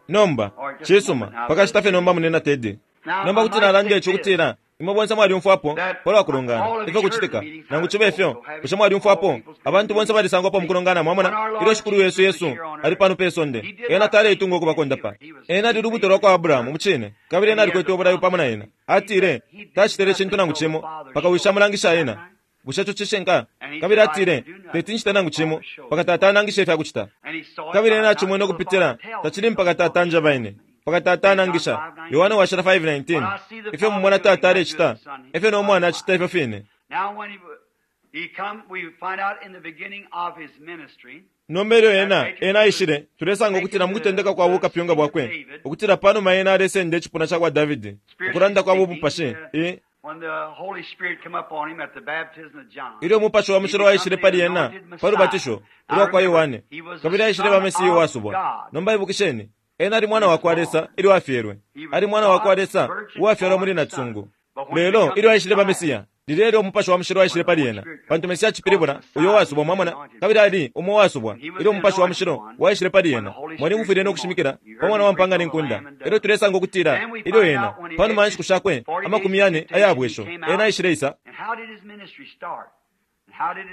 Nomba, cisuma, pakashita fye nomba munena Teddy. Nomba kuti nalanda ici ukutila Imwe bonse mwalyumfwapo palwa kulongana ifyo kucitika. Nangu cibe fyo, bushe mwalyumfwapo abantu bonse balisangwapo mukulongana? Mwamona, ilyo Shikulu Yesu Yesu ali pano pe sonde, ena taleitunga ukuba kondapa. Ena ali lubuto lwa kwa Abrahamu mucine, kabili ena alikwete ubulayo pamo na ena. Atile tacitile cintu nangu cimo paka Wishi amulangisha ena. Bushe ico cishinka? Kabili atile teti ncite nangu cimo paka Tata anangishe ifya kucita. Kabili ena acimwene ukupitila tacili mpaka Tata anjeba ine, mpaka Tata anangisha. Yohane washila 5:19. Ifyo mumona Tata alecita, efyo no Mwana acita ifyo fine. Nomba ilyo ena, ena aishile, tulesanga ukutila mukutendeka kwa bukapyunga bwakwe, ukutila panuma ena alesenda icipuna cakwa Davidi, ukulanda kwa bumupashi, i ilyo Umupashi wa Mushilo waishile pali ena pa lubatisho ulwa kwa Yohane, kabili aishile ba Mesiya uwasubwa. Nomba ibukisheni, ena ali mwana wa kwa Lesa ilyo afyelwe. Ali mwana wa kwa Lesa uwafyalwa muli nacisungu. Lelo ilyo aishile ba Mesiya, lilya ilyo Umupashi wa Mushilo waishile pali ena, pantu Mesiya cipilibula uyo uwasubwa, mwamona, kabili ali umo uwasubwa ilyo Umupashi wa Mushilo waishile pali ena. Mwalimufwile no kushimikila pa mwana wa mpanga ne nkunda. Elyo tulesanga ukutila ilyo ena, panuma ya nshiku shakwe 40 aya bwesho, ena aishile isa.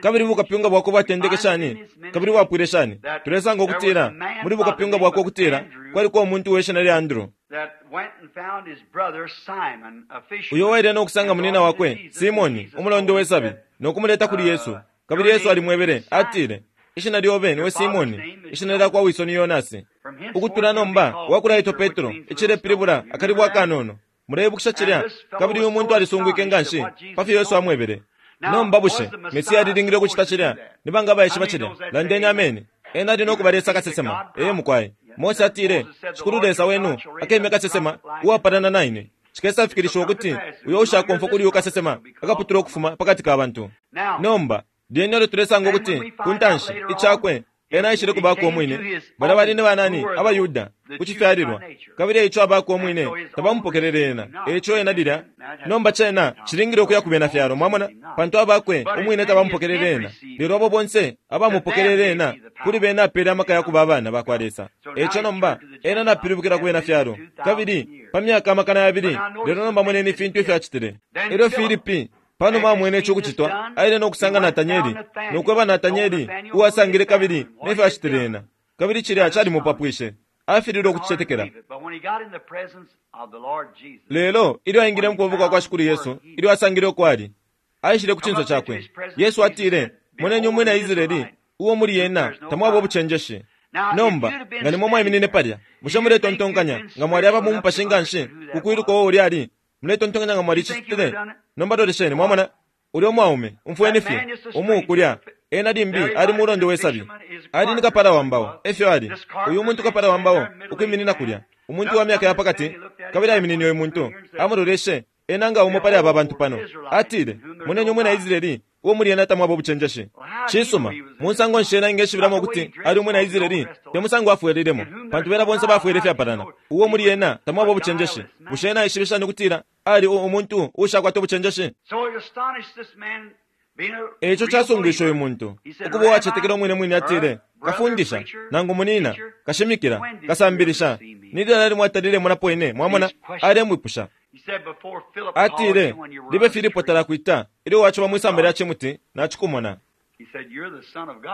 Kabili bukapyunga bwakwe bwatendeke shani? Kabili bwapwile shani? Tulesanga ukutila muli bukapyunga bwakwe ukutila kwaliko umuntu we shina lya Andrew, uyo waile no kusanga munina wakwe Simoni, umulondo we sabi, no kumuleta kuli Yesu. Kabili Yesu alimwebele, atile, ishina lyobe niwe Simoni, ishina lya kwa wiso ni Yonasi. Ukutula nomba wakulaitwa Petro, icilepilibula akalibwa akanono. Muleibukisha cilya? Kabili uyu muntu alisungwike nganshi pa fyo Yesu amwebele. Nomba bushe Mesiya alilingile ukucita cilya? Ni banga abaishiba cilya? Landeni ameni. Ena ali no kuba Lesa kasesema. Ee mukwai. Mose atile, Shikulu Lesa wenu akemya kasesema uwapalana na ine. Cikesafikilishiwa ukuti uyo ushakomfwa kuli uyu kasesema akaputulwa ukufuma pakati ka bantu. Nomba lyene ilyo tulesanga ukuti ku ntanshi icakwe ena aishile kubako umwine, balya bali ni banani? AbaYuda ku cifyalilwa, kabili eico abako umwine tabamupokelele ena. Eico ena lilya nomba cena cilingile ukuya ku bena fyalo, mwamona, pantu abakwe umwine tabamupokelele ena, lelo abo bonse abamupokelele ena, kuli bena apele amaka ya kuba abana bakwa Lesa. Eico nomba ena napilibukila ku bena fyalo, kabili pa myaka 200. Lelo nomba moneni ifintu ifyo acitile. Elyo Filipi panuma amwene ico ukucitwa, aile no kusanga Natanyeli, no kweba Natanyeli uwasangile kabili nefyo acitile ena. Kabili cilya calimupapwishe, afililwe ukucicetekela. Lelo ilyo aingile mu kuboko kwa Shikulu Yesu, ilyo asangile uko ali, aishile ku cinso cakwe. Yesu atile, moneni umwina Israeli, uo muli ena tamwaba ubucenjeshi. Nomba nga nimwe mwaiminine palya, bushe muletontonkanya nga mwali aba mu mupashi nganshi ku kwiluka uo ulya ali? Muletontonkanya nga mwalicitile? Nomba lolesheni, mwamona ulya umwaume, umfweni fye umu kulya. Ena limbi ali mulondo we sabi, ali ni kapala wa mbao, efyo ali uyu muntu kapala wa mbao ukwiminina kulya, umuntu wa myaka ya pakati. Kabili aiminine uyu muntu, amuloleshe ena nga umo pali aba bantu pano. Atile, moneni umwina Israeli uo muli ena tamwaba ubucenjeshi. Cisuma, musango nshi ena ingeshibilamo ukuti ali umwina Israeli? Te musango afwelelemo, pantu bena bonse bafwele ifyapalana. Uo muli ena tamwaba ubucenjeshi. Bushe ena aishibe shani ukutila ali umuntu uushakwata ubucenjeshi? Eico casungwishe uyu muntu ukuba uwacetekela umwine mwine. Atile, kafundisha, nangu munina, kashimikila, kasambilisha, ni lilali mwatalile monapo ine? Mwamona, alemwipusha. Atile, libe Filipo talakwita ilyo waciba mwisamba lya cimuti, nacikumona.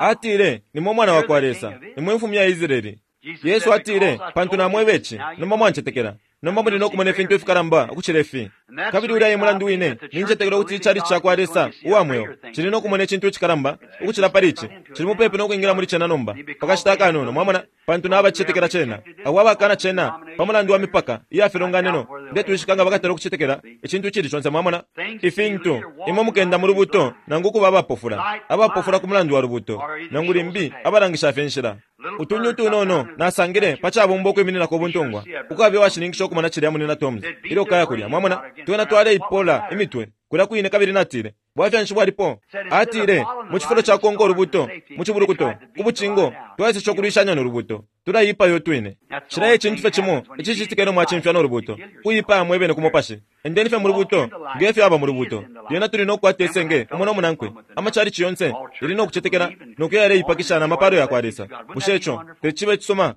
Atile, nimwe mwana wa kwa Lesa, nimwe mfumu ya Israeli. Yesu atile, pantu namweba ici, nomba mwancetekela. Nomba muli no kumona ifintu ifikalamba ukucila ifi. Kabili ulya e mulandu wine nincetekela ukuti icali ca kwa Lesa uwa mweo cili no kumona icintu icikalamba ukucila pali ici. Cili mupepi no kwingila muli cena nomba pakashita akanono, mwamona, pantu nabacicetekela cena. Abo abakana cena pa mulandu wa mipaka iya filonganino, ndetwishika nga bakatala ukucetekela icintu icili conse, mwamona. Ifintu imwe mukenda mu lubuto nangu kuba abapofula, abapofula ku mulandu wa lubuto, nangu limbi abalangisha fye inshila. Utunyu utunono nasangile pa cabumba ukwimininako ubuntungwa, ukabe washininkisha ukumona cilya munina Toms ilyo kaya kulya, mwamona. Twena twaleipola imitwe kulya kwine. Kabili natile, bwafya nshi bwalipo? Atile, mu cifulo ca konka ulubuto mu cibulukuto ku bucingo, twaesesha ukulwishanya no lubuto, tulaipayo utwine. Cilya e cintu fye cimo icicitika ilyo mwacimfya no lubuto, kuipaya mwebene ku mupashi. Endeni fye mu lubuto nge fyo aba mu lubuto, lyena tuli no kukwata isenge umo no munankwe. Amacalici yonse yali no kucetekela no kuya yaleipakisha na mapalo ya kwa Lesa. Bushe ico teti cibe icisuma?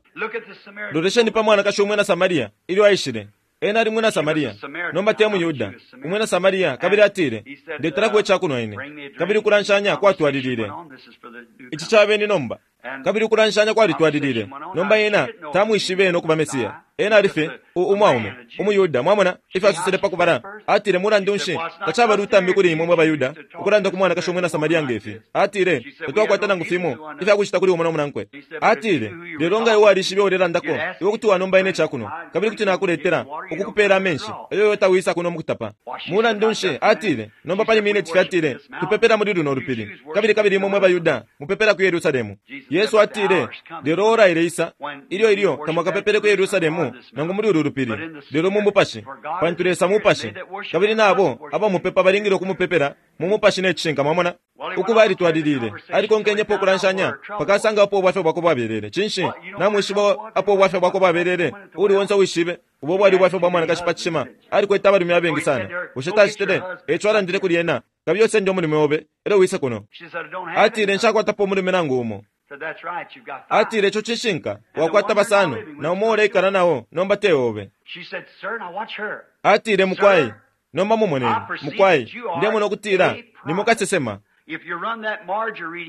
Lolesheni pa mwanakashi umwina Samaria ilyo aishile. Ena ali mwina Samaria, nomba te muYuda, umwina Samaria, kabili atile, Ndetelako icakunwa ine. Kabili ukulanshanya kwatwalilile. Ici cabeni nomba. Kabili ukulanshanya kwalitwalilile. Nomba ena tamwishibe ena ukuba Mesiya. Ena ali fye umwaume, umuYuda. Mwamona ifyo asosele pa kubala? Atile, mulandu nshi tacaba lutambi kuli imwe mwe baYuda ukulanda ku mwanakashi umwina Samaria nge fi? Atile, tatwakwata nangu fimo ifya kucita kuli umo no munankwe. Atile, lelo nga iwe walishibe ulelandako, iwe kuti wanomba ine icakunwa, kabili kuti nakuletela ukukupela amenshi, elyo iwe tawisa kuno mukutapa. Mulandu nshi, atile, nomba pali mineti fye atile, tupepela muli luno lupili, kabili kabili imwe mwe baYuda mupepela ku Yerusalemu. Yesu atile, lelo ora ileisa, ilyo ilyo tamwakapepele ku Yerusalemu nangu muli ulu lupili, lelo mu mupashi, pantu Lesa mupashi, kabili nabo abamupepa balingile ukumupepela mu mupashi ne cishinka. Mwamona? Ukuba alitwalilile, alikonkenyepo ukulanshanya mpaka asanga apo ubwafya bwakwe bwabelele. Cinshi? Namwishiba apo ubwafya bwakwe bwabelele? Uli onse uwishibe ubo bwali ubwafya bwa mwanakashi pa cishima, alikwete abalume abengi sana. Bushe tacitile? Eco alandile kuli ena, kabiye usende umulume obe, elyo wise kuno. Atile, nshakwatapo umulume nangu umo. Atile, ico cishinka, wakwata basano, na umo uleikala nao, nomba te obe. Atile, mukwai, nomba mumoneni, mukwai, ndemona ukutila nimwe kasesema.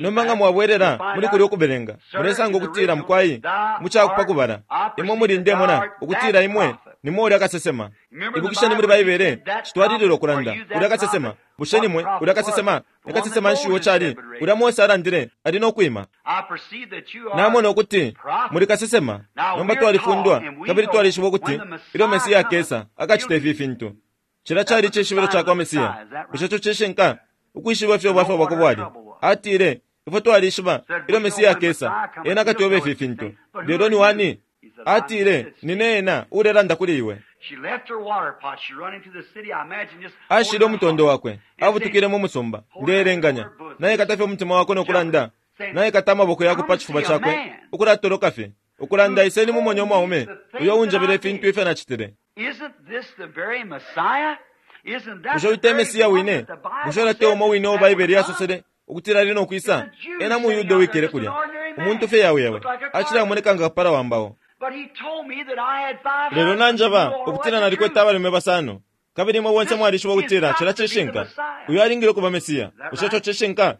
Nomba nga mwabwelela muli kulya ukubelenga, mulesanga ukutila mukwai mucakupa kubala, imwe muli ndemona ukutila imwe nimwe ulya kasesema. Ibukisheni muli Baibele, citwalilila ukulanda ulya kasesema. Bushe nimwe ulya kasesema? Ni kasesema nshi uo cali ulya Mose alandile ali no kwima? Namona ukuti muli kasesema. Nomba twalifundwa kabili twalishiba ukuti ilyo Mesiya akesa akacita ifi fintu. Cila cali icishibilo ca kwa Mesiya. Bushe ico cishinka? Ukwishiba ifyo ubwafya bwakwe bwali. Atile, ifwe twalishiba ilyo Mesiya akesa, ena akatweba ifi fintu. Lelo ni wani? Atile, nine ena ulelanda kuli iwe. Ashile umutondo wakwe, abutukile mu musumba. Ndeelenganya naikata fye umutima wakwe no kulanda, naikata amaboko yakwe pa cifuba cakwe, ukulatoloka fye, ukulanda, iseni mumonye umwaume uyo unjebele ifintu ifyo nacitile. Bushe uyu te Mesiya wine? Bushe ulya te umo wine uo Baibele yasosele ukutila ali no kwisa? Ena muYuda uwikele kulya, umuntu fye yaweyawe, acilamoneka nga kapala wa mbao. Lelo nanjaba ukutila nalikwete abalume basano, kabili imwe bonse mwalishiba ukutila cila cishinka. Uyu alingile ukuba Mesiya. Bushe ico cishinka?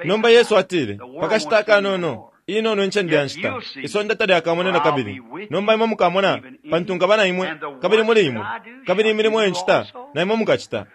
Nomba Yesu atile, pakashita akanono, inono incende ya nshita, isonde talyakamone na kabili. Nomba imwe mukamona, pantu nkaba na imwe, kabili muli imwe, kabili imilimo iyo ncita, na imwe mukacita.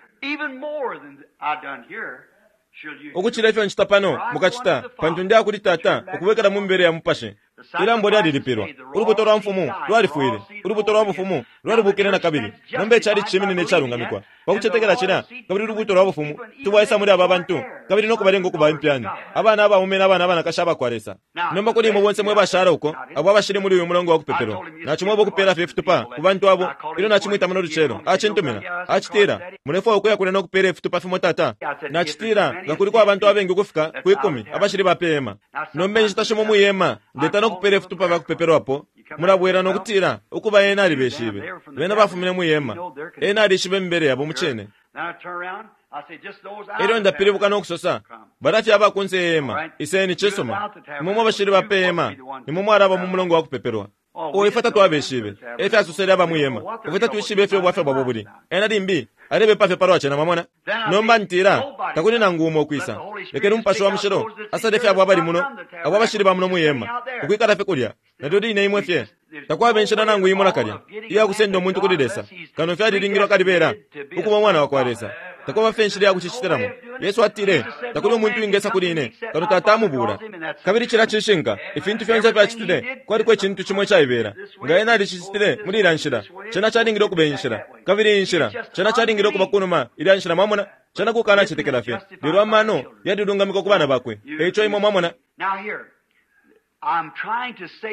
Ukucila ifyo ncita pano, mukacita, pantu ndi akuli Tata, ukubwekela mu mibele ya mupashi. Ilambo lyalilipilwa. Ulubuto lwa mfumu lwalifwile. Ulubuto lwa bufumu lwalibukile na kabili. Nomba icali ciminine icalungamikwa pa kucetekela cila, kabili ulubuto lwa bufumu tubwaisa muli aba bantu, kabili no kubalenga ukuba impyani, abana abaume na abana abanakashi abakwa Lesa. Nomba kuli imwe bonse mwe bashala uko, abo abashili muli uyu mulongo wa kupepelwa, nacimweba ukupela fye ifitupa ku bantu abo ilyo nacimwita muno lucelo. Acintumina, acitila, mulefwaya ukuya kulya no kupela ifitupa fimo tata? Nacitila, nga kuliko abantu abengi ukufika ku 10 abashili ba pe hema. Nomba inshita shimo mwi hema ndeta no kupela ifitupa vya kupepelwapo, mulabwela no kutila ukuba ena alibeshibe. Bena bafumine mwi hema, ena alishibe imibele yabo mucine. Elyo ndapilibuka no kusosa, balafye aba kunse ye hema, iseni cisuma. Imwe mwe bashili ba pe hema, nimwe mwalaba mu mulongo wa kupepelwa. O ifwe tatwabeshibe, efyo asosele aba mwi hema, ifwe tatwishibe ifyo ubwafya bwabo buli. Ena limbi alebepa fye palwa cena, mwamona. Nomba ntila, takuli nangu umo ukwisa. Lekeni Umupashi wa Mushilo asale fye abo abali muno, abo abashili ba muno mwi hema, ukwikala fye kulya. Nalyo line imwe fye. Takwaba inshila nangu imo nakalya iya kusenda umuntu kuli Lesa, kano fye alilingilwa kalibela ukuba umwana wa kwa Lesa. Takwaba fye inshila ya kucicitilamo. Yesu atile, takuli umuntu wingesa kuli ine, kano Tata amubula. Kabili cila cishinka, ifintu fyonse fyacitile, kwaliko icintu cimo icaibela. Nga ena alicicitile muli ilya nshila, cena calingile ukuba inshila. Kabili iyi nshila, cena calingile ukuba kunuma ilya nshila, mwamona. Cena kukana cetekela fye. Lelo amano yalilungamikwa ku bana bakwe. Eico imwe mwamona.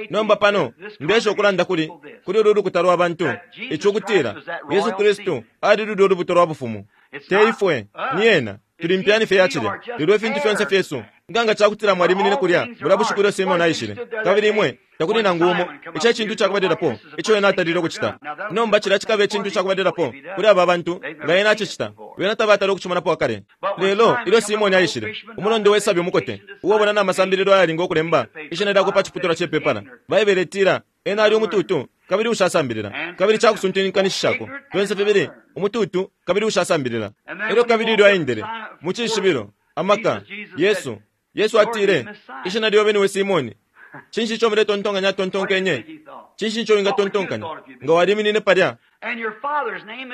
Nomba pano, ndesha ukulanda kuli, kuli ulu lukuta lwa bantu, ico ukutila, Yesu Kristu ali lulya ulubuto lwa bufumu. Te ifwe, ni ena, tuli mpyani fye ya cilya. Lelo ifintu fyonse fyesu, nga nga cakutila mwaliminine kulya bulya bushiku ilyo Simeoni aishile, kabili imwe takuli nangu umo, ico e cintu cakubalilapo ico ena atalile ukucita. Nomba cilya cikaba icintu cakubalilapo kuli aba bantu, nga ena acicita. Bena tabatala ukucimonapo akale. Lelo ilyo Simoni aishile, umulondo we sabi umukote, uwabona na masambililo ayalinga ukulemba ishina lyakwe pa ciputulwa ce pepala, Baibele itila ena ali umututu. kabili ushasambilila, kabili cakusuntinkanishishako fyonse fibili umututu kabili ushasambilila. Elyo kabili ilyo aendele mu cishibilo, amaka, Yesu, Yesu atile, Ishina lyobe niwe Simoni. Cinshi ico muletontonkanya atontonkenye? Cinshi ico wingatontonkanya nga waliminine palya?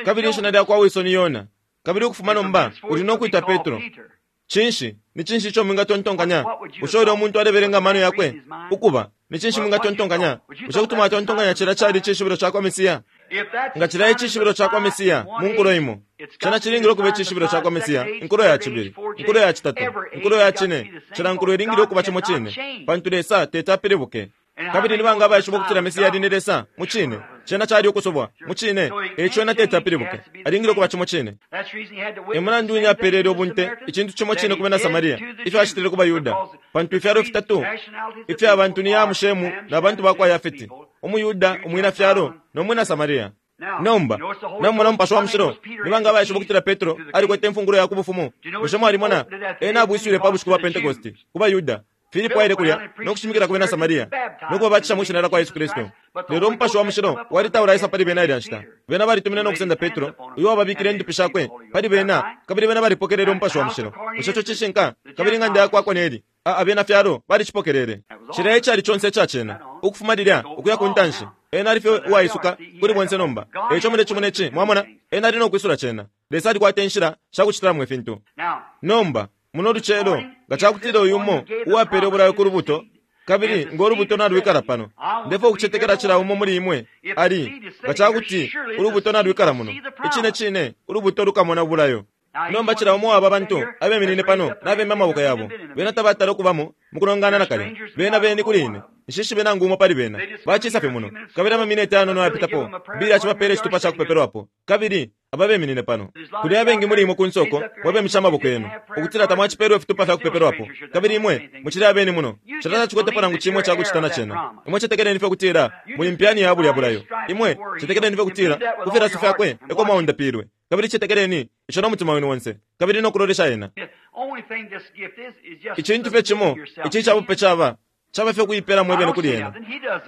Kabili ishina lya kwa wiso ni Yona. Kabili ukufuma nomba uli no kwita Petro. Cinshi? Ni cinshi ico mwingatontonkanya? Bushe ulya umuntu alebelenga amano yakwe? Ukuba, ni cinshi mwingatontonkanya? Bushe kuti mwatontonkanya cilya cali icishibilo ca kwa Mesiya? Nga cilya icishibilo ca kwa Mesiya mu nkulo imo, cena cilingile ukuba icishibilo ca kwa Mesiya inkulo ya cibili, inkulo ya citatu, inkulo ya cine. Cila nkulo ilingile ukuba cimo cine, pantu Lesa teti apilibuke. Kabili ni banga abaishiba ukutila Mesiya ali ni Lesa? Mucine. Cena cali ukusubwa. Mucine. Eico ena teti apilibuke. Alingile ukuba cimo cine. E mulandu wine apelele ubunte icintu cimo cine ku bena Samaria, ifyo acitile ku baYuda. Pantu ifyalo fitatu ifya bantu ni Hamu, Shemu, na bantu ba kwa Yafeti, umuYuda, umwina fyalo, no mwina Samaria. Nomba, namumona Umupashi wa Mushilo, ni banga abaishiba ukutila Petro alikwete imfungulo ya ku bufumu? Bushe mwalimona? Ena abwiswile pa bushiku bwa Pentekoste ku baYuda. Filipo aile kulya no kushimikila ku bena Samaria no kubabatisha mwi shina lya kwa Yesu Kristu. Lelo Umupashi wa Mushilo wali taulaisa pali bena ilya nshita. Bena balitumine no kusenda Petro, uyo wababikile indupi shakwe pali bena, kabili bena balipokelele Umupashi wa Mushilo. Bushe ico cishinka? Kabili ing'anda ya kwa Koneli, a abena fyalo balicipokelele. Cilya e cali conse ica cena, ukufuma lilya ukuya ku ntanshi. Ena ali fye uwaisuka kuli bonse nomba. E ico mulecimona ici, mwamona? Ena ali no kwisula cena. Lesa alikwata inshila sha kucitilamo ifintu. Nomba, muno lucelo, nga ca kutila uyu umo uwapele ubulayo ku lubuto, kabili ngo lubuto nalwikala pano, ndefwaya ukucetekela cila umo muli imwe ali, nga ca kuti ulubuto nalwikala muno, icine cine ulubuto lukamona ubulayo. Nomba cila umo wa aba bantu abeminine pano nabemya amaboko yabo, bena tabatala ukubamo mukulongana nakalya. Bena beni kuli ine. Nshishibe nangu umo pali bena. Bacisa fye muno. Kabili amamineti ayanono ayapitapo, Billy acibapela icitupa ca kupepelwapo. Kabili aba beminine pano. Kuli abengi muli imwe kunse uko, mwebemisha amaboko yenu, ukutila tamwacipelwe ifitupa fya kupepelwapo. Kabili imwe mucili abeni muno. Cilya tacikwetepo nangu cimo icakucita na cena. Imwe cetekeleni fye ukutila muli mpyani ya bulya bulayo. Imwe cetekeleni fye ukutila ku filaso fyakwe eko mwaundapilwe. Kabili cetekeleni ico no mutima wenu onse, kabili no kulolesha ena. Icintu fye cimo ici icabupe caba, caba fye kuipela mwebene kuli ena.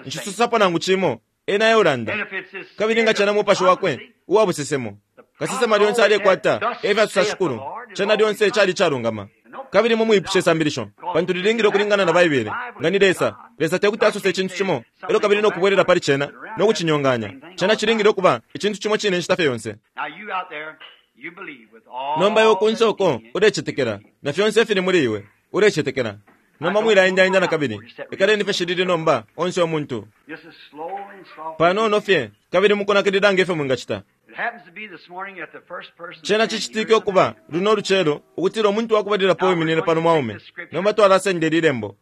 Nshisosapo nangu cimo, ena eulanda. Kabili nga cena Mupashi wakwe uwa busesemo, kasesema lyonse alekwata, efya sosa Shikulu, cena lyonse cali icalungama. Kabili mumwipushe isambilisho, pantu lilingile ukulingana na Baibele. Nga ni Lesa, Lesa tekuti asose icintu cimo, elyo kabili no kubwelela pali cena no kucinyonganya. Cena cilingile ukuba icintu cimo cine inshita fye yonse. Nomba iwe kunse uko ulecetekela, na fyonse ifili muli iwe, ulecetekela. Nomba mwilaendaenda na kabili. Ikaleni fye shilili nomba, onse umuntu. Panono fye, kabili mukunakilila nge fyo mwingacita. Cena cicitike ukuba, luno lucelo, ukutila umuntu wakubalilapo uwiminine pano mwaume. Nomba twalasenda ili Lembo.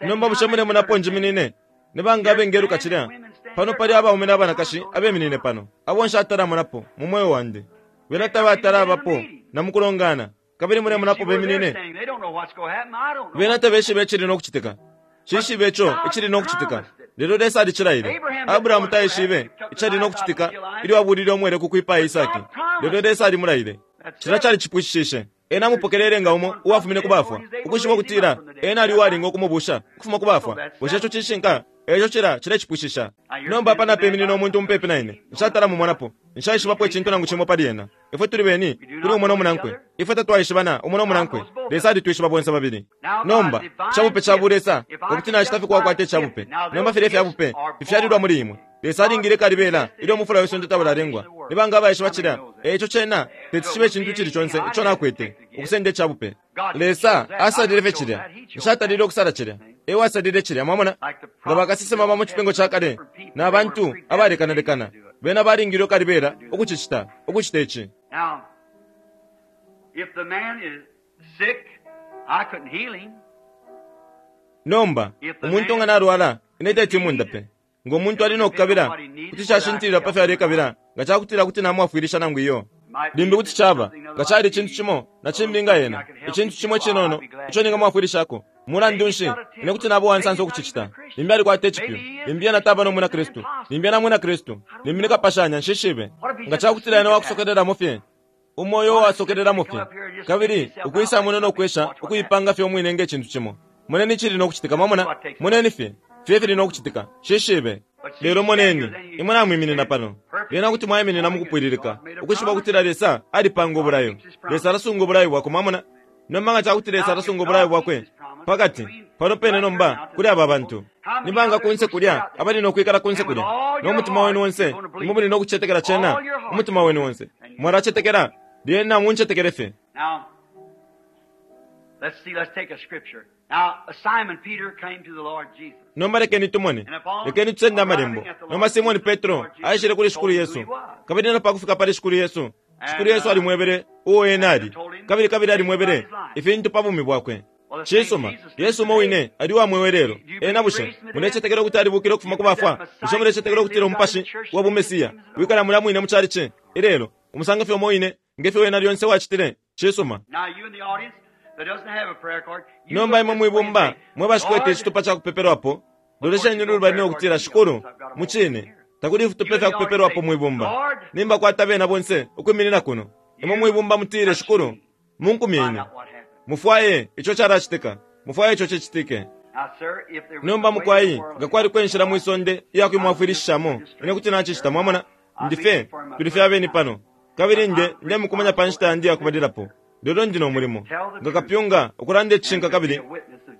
Nomba bushe mulemona apo njiminine? Ni banga abengeluka cilya? Pano pali abaume na banakashi abeminine pano, abo nshatalamonapo mu mweo wandi. Bena tabatala abapo na mukulongana, kabili mulemona apo beminine? Bena tabeshibe icili no kucitika. Nshishibe ico icili no kucitika, lelo Lesa alicilaile. Abrahamu taishibe icali no kucitika ilyo abulile umwele ku kwipaya Isaki, lelo Lesa alimulaile. Cilya calicipwishishishe. Ena amupokelele nga umo uwafumine ku bafwa, ukwishiba ukutila ena ali uwalinga ukumubusha ukufuma ku bafwa. Bushe ico cishinka? Eico cila cilecipwishisha. Nomba apa napeminina umuntu mupepi na ine. Nshatala mumonapo. Nshaishibapo icintu nangu cimo pali ena. Ifwe tuli beni kuli umo no munankwe. Ifwe tatwaishibana umo no munankwe. Lesa alitwishiba bonse babili. Nomba, icabupe ca bulesa, ukuti nacita fye kwakwata icabupe. Nomba filya ifyabupe fifyalilwa muli imwe. Lesa alingile kalibela ilyo umufula we sonde taulalengwa. Ni banga abaishiba cilya? Eico cena teti cibe icintu icili conse ico nakwete, ukusenda icabupe. Lesa asalile fye cilya. Nshatalile ukusala cilya. E wasalile cilya, mwamona? Nga bakasesema ba mu Cipingo ca Kale na bantu abalekanalekana, bena balingile kalibela ukucicita, ukucita ici. Now, if the man is sick, I couldn't heal him. Nomba, umuntu nga nalwala, ine teti mundape. Ngo muntu ali no kukabila, kuti cashintilila pa fyo alekabila, nga ca kutila kuti namwafwilisha nangu iyo. Limbi kuti caba, nga cali icintu cimo na cimbi nga ena, icintu cimo icinono ico ningamwafwilishako. Mulandu nshi, ine kuti naba uwansansa ukucicita. Limbi alikwata icipyu, limbi ena taba no mwina Kristu, limbi ena mwina Kristu, limbi ni kapashanya, nshishibe. Nga ca kutila ena wakusokelelamo fye, umo uyo uwasokelelamo fye, kabili ukwisa muno no kwesha ukuipanga fye umwine nge cintu cimo. Moneni icili no kucitika, mwamona? Moneni fye, fye ifili no kucitika. Nshishibe. Lelo moneni, imwe namwiminina pano. Lyena kuti mwaiminina mukupwililika, ukwishiba ukutila Lesa alipanga ubulayo. Lesa alasunga ubulayo bwakwe, mwamona. Nomba nga cakuti Lesa alasunga ubulayo bwakwe pakati pano pene nomba kuli aba bantu, ni banga kunse kulya abali no kwikala kunse kulya no mutima wenu onse, imwe muli no kucetekela cena umutima wenu onse. Mwalacetekela, lyena muncetekele fye. Now, let's see, let's take a scripture. Now, Simon Peter came to the Lord Jesus. Nomba lekeni tumone, lekeni tusende amalembo. Nomba Simoni Petro aishile kuli Shikulu Yesu, kabili na pakufika pali Shikulu Yesu, Shikulu Yesu alimwebele uo ena ali, kabili kabili alimwebele ifintu pa bumi bwakwe. Cisuma, Yesu umo wine ali uwa mweo ilelo. Ena bushe mulecetekela ukuti alibukile ukufuma ku bafwa? Bushe mulecetekela ukutila umupashi wa bumesiya wikala mulya mwine mu chalichi ilelo, umusango fye umo wine nge fyo wena lyonse wacitile? Cisuma. Now, you in the audience that doesn't have a prayer card, you Nomba look imwe this way and mwibumba say, mwe bashikwete Lord, icitupa ca kupepelwapo, lolesheni lulubali no kutila, Shikulu, mucine takuli ifitupa fya kupepelwapo mwibumba. Nimbakwata bena bonse ukwiminina kuno. Imwe mwibumba mutile, Shikulu, munkumye find ine. out what happened. Mufwaye ico calacitika, mufwaye ico cicitike. Now, sir, if there was Nomba a way in mukwai, the world nga kwali kwenshila mwisonde iya kwimwafwilishishamo, ine kuti nacicita, mwamona. Ndife tuli fye abeni pano, kabili nde ndemukumanya pa nshita yandi yakubalilapo. Lelo ndi no mulimo nga kapyunga ukulanda icishinka kabili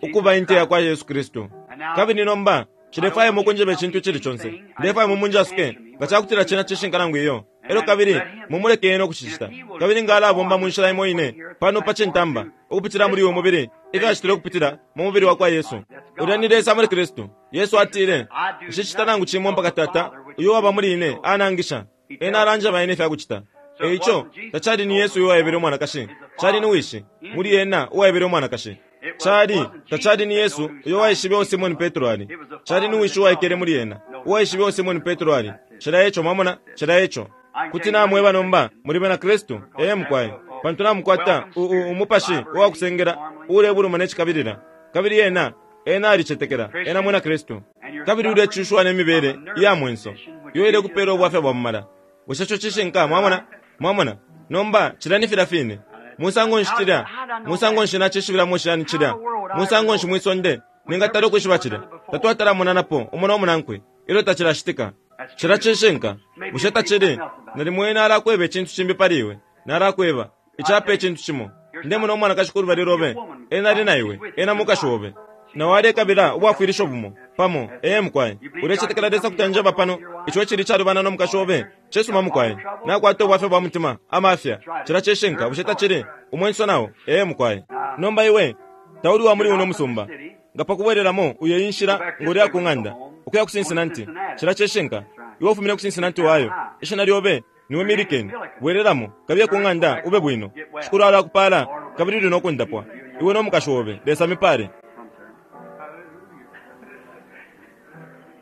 ukuba inte yakwa Yesu Kristu. Kabili nomba nshilefwaya imwe ukunjeba icintu icili conse, ndefwaya imwe munjasuke nga cakutila cena cishinka nangu iyo. Elyo kabili mumuleke ena ukucicita. Kabili nga alabomba mu nshila imo ine pano pa cintamba ukupitila muli uyu mubili, ifyo acitile ukupitila mu mubili wakwa Yesu. Ulya ni Lesa muli Kristu. Yesu atile, nshicita nangu cimo mpaka Tata uyo uwaba muli ine anangisha. Ena alanjeba ine ifya kucita. Eico tacali ni Yesu uyo uwaebele umwanakashi, cali ni Wishi muli ena uwaebele umwanakashi. Cali tacali ni Yesu uyo uwaishibe uo Simoni Petro ali, cali ni Wishi uwaikele muli ena uwaishibe uo Simoni Petro ali. Cila eco, mwamona, cila eco. Kuti namweba nomba muli bena Kristu, ee mukwai, pantu namukwata umupashi uwakusengela uulebuluma ne cikabilila. Kabili ena ena alicetekela ena mwina Kristu. Kabili ulecushiwa ne mibele iya mwenso iyo ilekupela ubwafya bwa mumala. Bushe ico cishinka? Mwamona? Mwamona? Nomba cilya ni filya fine. Musango nshi cilya? Musango nshi nacishibilamo shani cilya? Musango nshi mwisonde ningatala ukwishiba cilya? Tatwatalamonanapo umo no munankwe ilyo tacilacitika. Cilya cishinka. Bushe tacili? Nalimo ena alakweba icintu cimbi pali iwe. Nalakweba icapa icintu cimo. Ndemona umwanakashi kulubali lobe. Ena ali na iwe. Ena mukashi obe. Na walekabila ubwafwilisho bumo pamo. Ee mukwai, ulecetekela Lesa kuti anjeba pano ico icili calubana no mukashi obe? Cisuma mukwai, nakwata ubwafya bwa mutima, amafya. Cilya cishinka, bushe tacili? Umwenso nao. Ee mukwai. Nomba iwe tauli wa muli uno musumba, nga pakubwelelamo uyo inshila ngo lya ku ng'anda ukuya ku Cincinnati. Cilya cishinka. Iwe ufumine ku Cincinnati, Ohio. Ishina lyobe niwe Milliken. Bwelelamo, kabiye ku ng'anda ube bwino. Shikulu alakupala kabili uli no kundapwa, iwe no mukashi obe. Lesa mipale.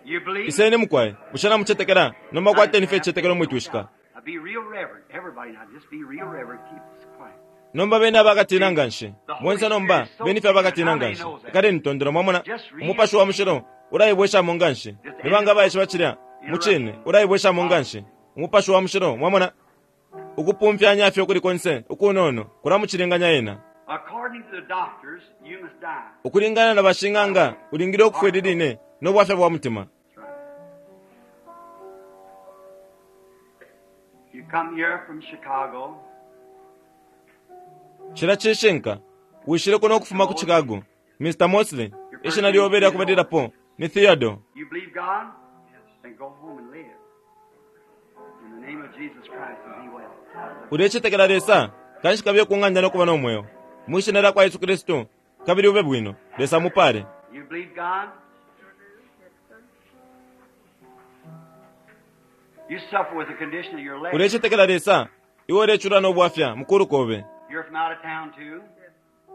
You believe? Iseni mukwai, bushe namucetekela? Nomba kwateni fye icicetekelo mwitwishika. Now be real reverent. Everybody now, just be real reverent. Keep this quiet. Nomba beni abakatina nganshi bonse, nomba beni fye abakatina nganshi. Ikaleni tondolo, mwamona. Umupashi wa mushilo ulaibweshamo nganshi. Ni banga baishiba cilya? Mucine ulaibweshamo nganshi umupashi wa mushilo, mwamona. Ukupumfyanya fye ukuli konse ukunono kulamucilinganya ena. According to the doctors, you must die. Ukulingana na bashing'anga ulingile ukufwa ili line no bwafya bwa mutima. That's right. You come here from Chicago. Cila cishinka. Wishile kuno ukufuma ku Chicago, Mr. Mosley. Ishina lyobe lyakubalilapo ni Theodore. You believe God? Then go home and live. In the name of Jesus Christ and be well. Ulecetekela Lesa, kanshi kabiye ku ng'anda no kuba no mweo mwishina lya kwa Yesu Kristu, kabili ube bwino. Lesa mupale. You believe God? You suffer with the condition of your leg. Ulecetekela Lesa, iwe ulecula no bwafya mukulu kobe. You're from out of town too.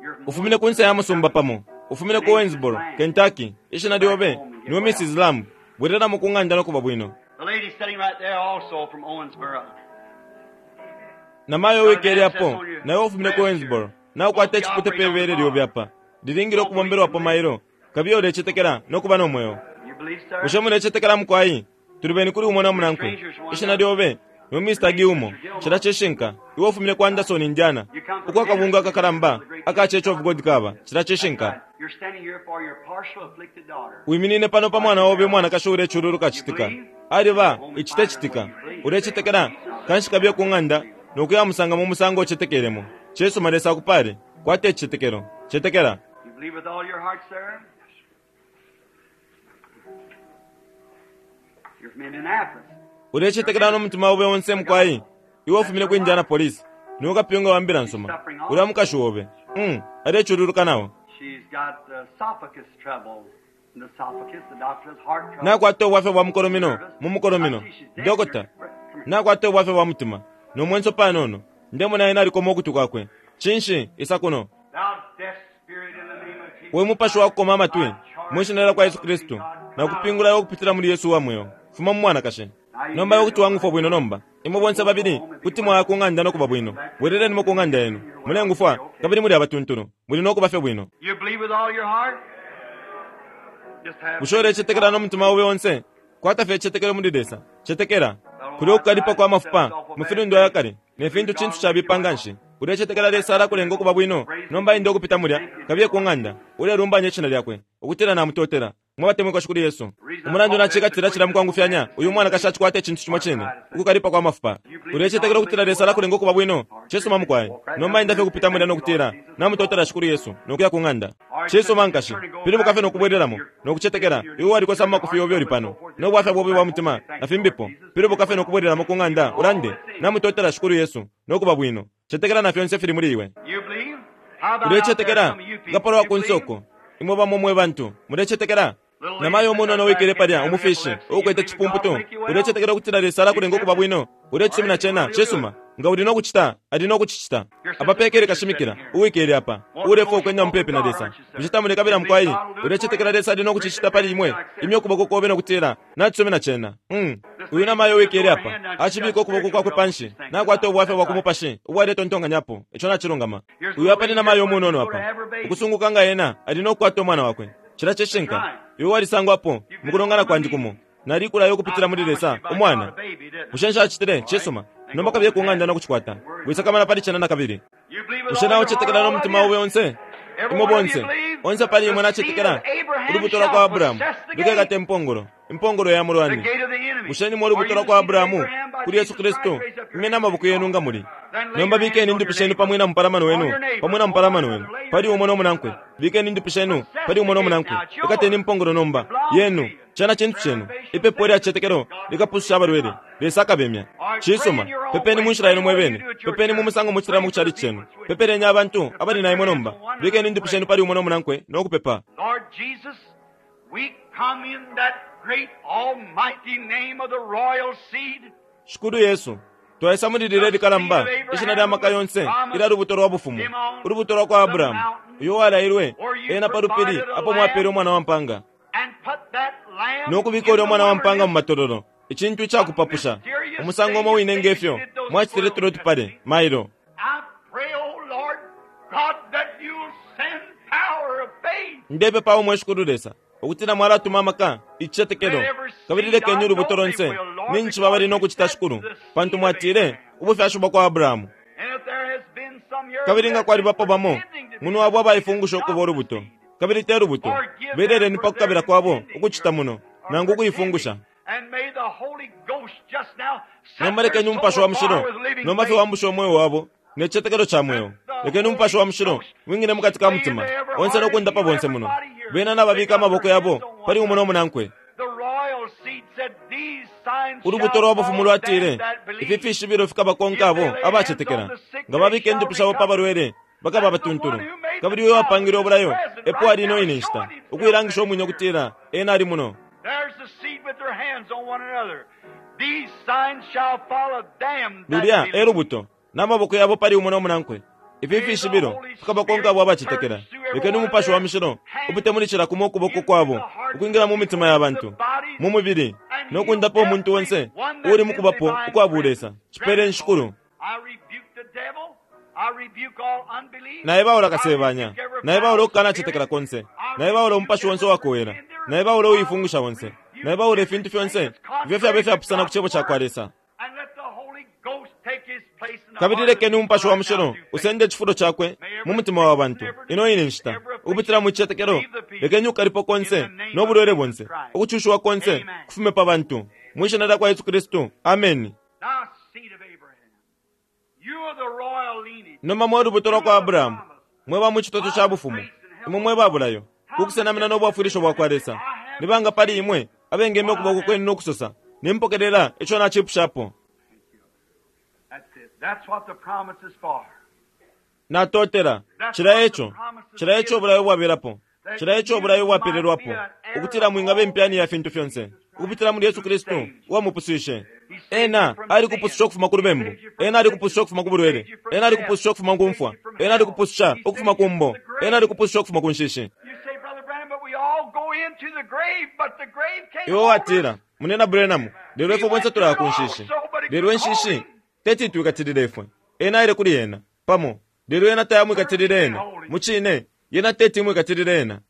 You're from Ufumine ku nse ya musumba pamo, ufumine ku Owensboro, Kentucky. Ishina lyobe niwe Mrs. Lamb. Bwereramo ku ng'anda no kuba bwino. The lady sitting right there also from Owensboro. Namayo wikele apo nawe ufumine ku Owensboro, naukwata icipute pe bere lyobe apa lilingile ukubombelwapo mailo. Kabiye ulecetekela no kuba no mweo. You believe, sir? Bushe mulecetekela mukwai? Tuli beni kuli umo na munankwe. Ishina lyobe Niwe Mr. Gilmore. Cilya cishinka. Iwe ufumine ku Anderson, Indiana, uko akabungwe akakalamba aka Church of God kaba. Cilya cishinka. Wiminine pano pa mwana obe umwanakashi uulecululuka citika. Aliba, ici te citika. Ulecetekela? Kanshi kabiye ku ng'anda no kuyamusanga mu musango ucetekelemo. Cisuma, Lesa akupale. Kwata icicetekelo. Cetekela. Ulecetekela no mutima obe onse, mukwai? Iwe ufumine ku Indianapolis. Niwe kapyunga wa Mbila nsuma. Ulya mukashi obe. Um, alecululuka nao. Nakwata ubwafya bwa mukolomino mu mukolomino. Dokota nakwata ubwafya bwa mutima no mwenso panono. Ndemona ena alikoma ukutwi kwakwe. Cinshi? Isa kuno. We mupashi wa kukoma amatwi, mwi Shina lyakwa Yesu Kristu, nakupingula iwe ukupitila muli Yesu uwa mweo, fuma mu mwanakashi. Nomba iwe kuti wangufwa bwino nomba. Imwe bonse babili kuti mwaya ku ng'anda no kuba bwino. Bwelelenimo ku ng'anda yenu. Mulengufwa, kabili muli abatuntulu. Muli no kuba fye bwino. Bushe ulecetekela no mutima obe onse? Kwata fye icicetekelo muli Lesa. Cetekela. Kulya ukukalipa kwa mafupa mu filundwa ya kale ne fintu cintu cabipa nganshi. Ulecetekela Lesa alakulenga ukuba bwino? Nomba enda ukupita mulya, kabiye ku ng'anda, ulelumbanya Ishina Lyakwe, ukutila Namutotela. Mwe batemwikwa Shikulu Yesu. Umulandu nacikatila cilya mukwangufyanya, uyu mwanakashi acikwata icintu cimo cine, ukukalipa kwa mafupa. Ulecetekela ukutila Lesa alakulenga ukuba bwino? Cisuma, mukwai. Nomba enda fye ukupita mulya no kutila, Namutotela Shikulu Yesu, no kuya ku ng'anda. Cisuma, nkashi. Pilibuka fye no kubwelelamo, no kucetekela, iwe walikosa mu makufi yobe uli pano, no bwafya bobe bwa mutima, na fimbipo. Pilibuka fye no kubwelelamo ku ng'anda, ulande, Namutotela Shikulu Yesu, no kuba bwino. Cetekela na fyonse ifili muli iwe. Ulecetekela? Nga palwa kunse uko, imwe bamo mwe bantu, mulecetekela? Namayo umunono uwikele palya, umufishi, uukwete cipumputu, ulecetekela ukutila Lesa alakulenga ukuba bwino? Ulecisumina cena? Cisuma. Nga uli no kucita, ali no kucicita. Apa pekele kashimikila, uwikele apa, uulefwaya ukwenda mupepi na Lesa. Bushe tamulekabila, mukwai? Ulecetekela Lesa ali no kucicita pali imwe? Imya ukuboko kobe no kutila, Nacisumina cena. Um. Uyu namayo uwikele apa, acibika ukuboko kwakwe panshi, nakwata ubwafya bwa ku mupashi ubo aletontonkanyapo. Ico nacilungama. Uyu apa ni namayo umunono apa, ukusunguka nga ena ali no kukwata umwana wakwe. Cilya cishinka. Iwe walisangwapo mukulongana kwandi kumo. Nalikulaya ukupitila muli Lesa, umwana. Bushe nshacitile? Cisuma. Nomba kabiye ku ng'anda no kucikwata. Wisakamana pali cena nakabili. Bushe naucetekela no mutima obe onse? Imwe bonse, onse pali imwe nacetekela? Ulubuto lwa kwa Abrahamu lukekata impongolo, impongolo ya mulwani. Bushe nimwe ulubuto lwa kwa Abrahamu, kuli Yesu Kristu? Imyeni amaboko yenu nga muli. Nomba bikeni indupi shenu pa mwina mupalamano wenu, pa mwina mupalamano wenu, pali umo no munankwe. Bikeni indupi shenu pali umo no munankwe. Ikateni impongolo nomba. Yenu. Cena cintu cenu. Ipepo ilya cicetekelo likapususha abalwele. Lesa akabemya. Cisuma. Pepeni mu nshila yenu mwe bene. Pepeni mu musango mucitilamo ku calici cenu. Pepeleni abantu abali na imwe nomba. Bikeni indupi shenu pali umo no munankwe no kupepa. Lord Jesus, we come in that great almighty name of the royal seed. Shikulu Yesu, twaisa muli lilya ilikalamba, Ishina lya Maka yonse ilya Lubuto lwa Bufumu, Ulubuto lwa kwa Abrahamu, uyo uwalailwe Ena pa lupili apo mwapele umwana wa mpanga, no kubika ulya umwana wa mpanga mu matololo, icintu icakupapusha, umusango umo wine nge fyo mwacitile tulya utupale mailo. Ndepepa, O mwe Shikulu Lesa, ukutila Mwalatuma amaka, icicetekelo, kabili lekeni ulubuto lonse ninshi bali no kucita, Shikulu, pantu Mwatile, Ubufyashi bwakwa Abrahamu. Kabili nga kwalibapo bamo muno abo abaifungusha ukuba ulubuto, kabili te lubuto, beleleni pa kukabila kwabo ukucita muno, nangu ukuifungusha. Nomba lekeni Umupashi wa Mushilo nomba fye wambushe umweo wabo ne cicetekelo ca mweo. Lekeni Umupashi wa Mushilo wingile mukati ka mutima onse no kundapa bonse muno. Bena nababika amaboko yabo pali umo no munankwe. Ulubuto lwa Bufumu lwatile, Ifi fishibilo fikabakonka abo abacetekela. Nga babika indupi shabo pa balwele, bakaba abatuntulu. Kabili uyo uwapangile ubulayo epo ali ino ine nshita, ukuilangisha umwine ukutila Ena ali muno. Lulya e lubuto, na maboko yabo pali umo no munankwe. Ifi fishibilo fikabakonka abo abacetekela. Lekeni Umupashi wa Mushilo upite muli cila kumo ukuboko kwabo ukwingila mu mitima ya bantu, mu mubili, no kundapa umuntu onse uuli mu Kubapo ukwa Bulesa. Cipeleni, Shikulu. Naebaula Kasebanya. Naebaula ukukanacetekela konse. Naebaula umupashi onse uwakowela. Naebaula uifungusha onse. Naebaula ifintu fyonse ifyo fyaba ifyapusana ku Cebo cakwa Lesa. Kabili lekeni Umupashi wa Mushilo usende icifulo Cakwe mu mutima wa bantu ino ine nshita, ukupitila mu cicetekelo. Lekeni ukukalipo konse no bulwele bonse, ukucushiwa konse kufume pa bantu, mwi Shina lyakwa Yesu Kristu. Ameni. Nomba mwe lubuto lwa kwa Abrahamu, mwe ba mu citoto ca bufumu, imwe mwe ba bulayo, ku kusenamina no bwafwilisho bwa kwa Lesa, ni banga pali imwe abengemya ukuboko kwenu no kusosa, Nimpokelela ico nacipushapo? Natotela. Cilya eco. Cilya eco ubulayo bwabelapo. Cilya eco ubulayo bwapelelwapo, ukutila mwingaba impyani ya fintu fyonse, ukupitila muli Yesu Kristu, uwa mupuswishe. Ena alikupususha ukufuma ku lubembu. Ena alikupususha ukufuma ku bulwele. Ena alikupususha ukufuma ku mfwa. Ena alikupususha ukufuma ku mbo. Ena alikupususha ukufuma ku nshishi. Iwe watila, Munena Branham, lelo ifwe bonse tulaya ku nshishi. Lelo inshishi teti itwikatilile ifwe. Ena aile kuli yena, pamo, lelo yena tayamwikatilile ena. Mucine, yena teti imwikatilile ena.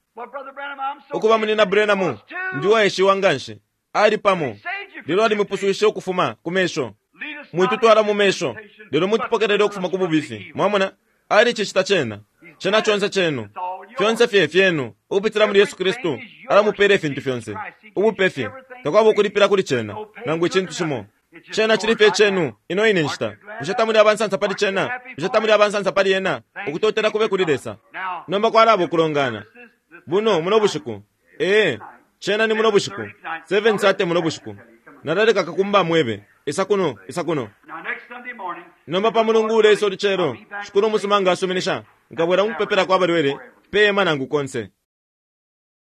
Ukuba, Munina Branham, ndi uwaeshiwa nganshi. Ali pamo, lelo alimupuswishe ukufuma ku mesho. Mwitutwala mu mesho, lelo mutupokelele ukufuma ku bubifi. Mwamona? Alicicita cena. Cena conse cenu. Fyonse fye fyenu, ukupitila muli Yesu Kristu, alamupela ifintu fyonse. Ubupe fye. Takwaba ukulipila kuli cena, nangu icintu cimo. Cena cili fye cenu, ino ine nshita. Bushe tamuli abansansa pali cena? Bushe tamuli abansansa pali ena? Ukutotela kube kuli Lesa. Nomba kwalaba ukulongana. Buno, muno bushiku. Ee, cena ni muno bushiku. 7:30 muno bushiku. Nalaleka kakumba amwebe. Isa kuno, isa kuno. Nomba pa Mulungu uleisa ulucelo, Shikulu umusuma nga asuminisha, nkabwela mu kupepelako abalwele, pe hema nangu konse.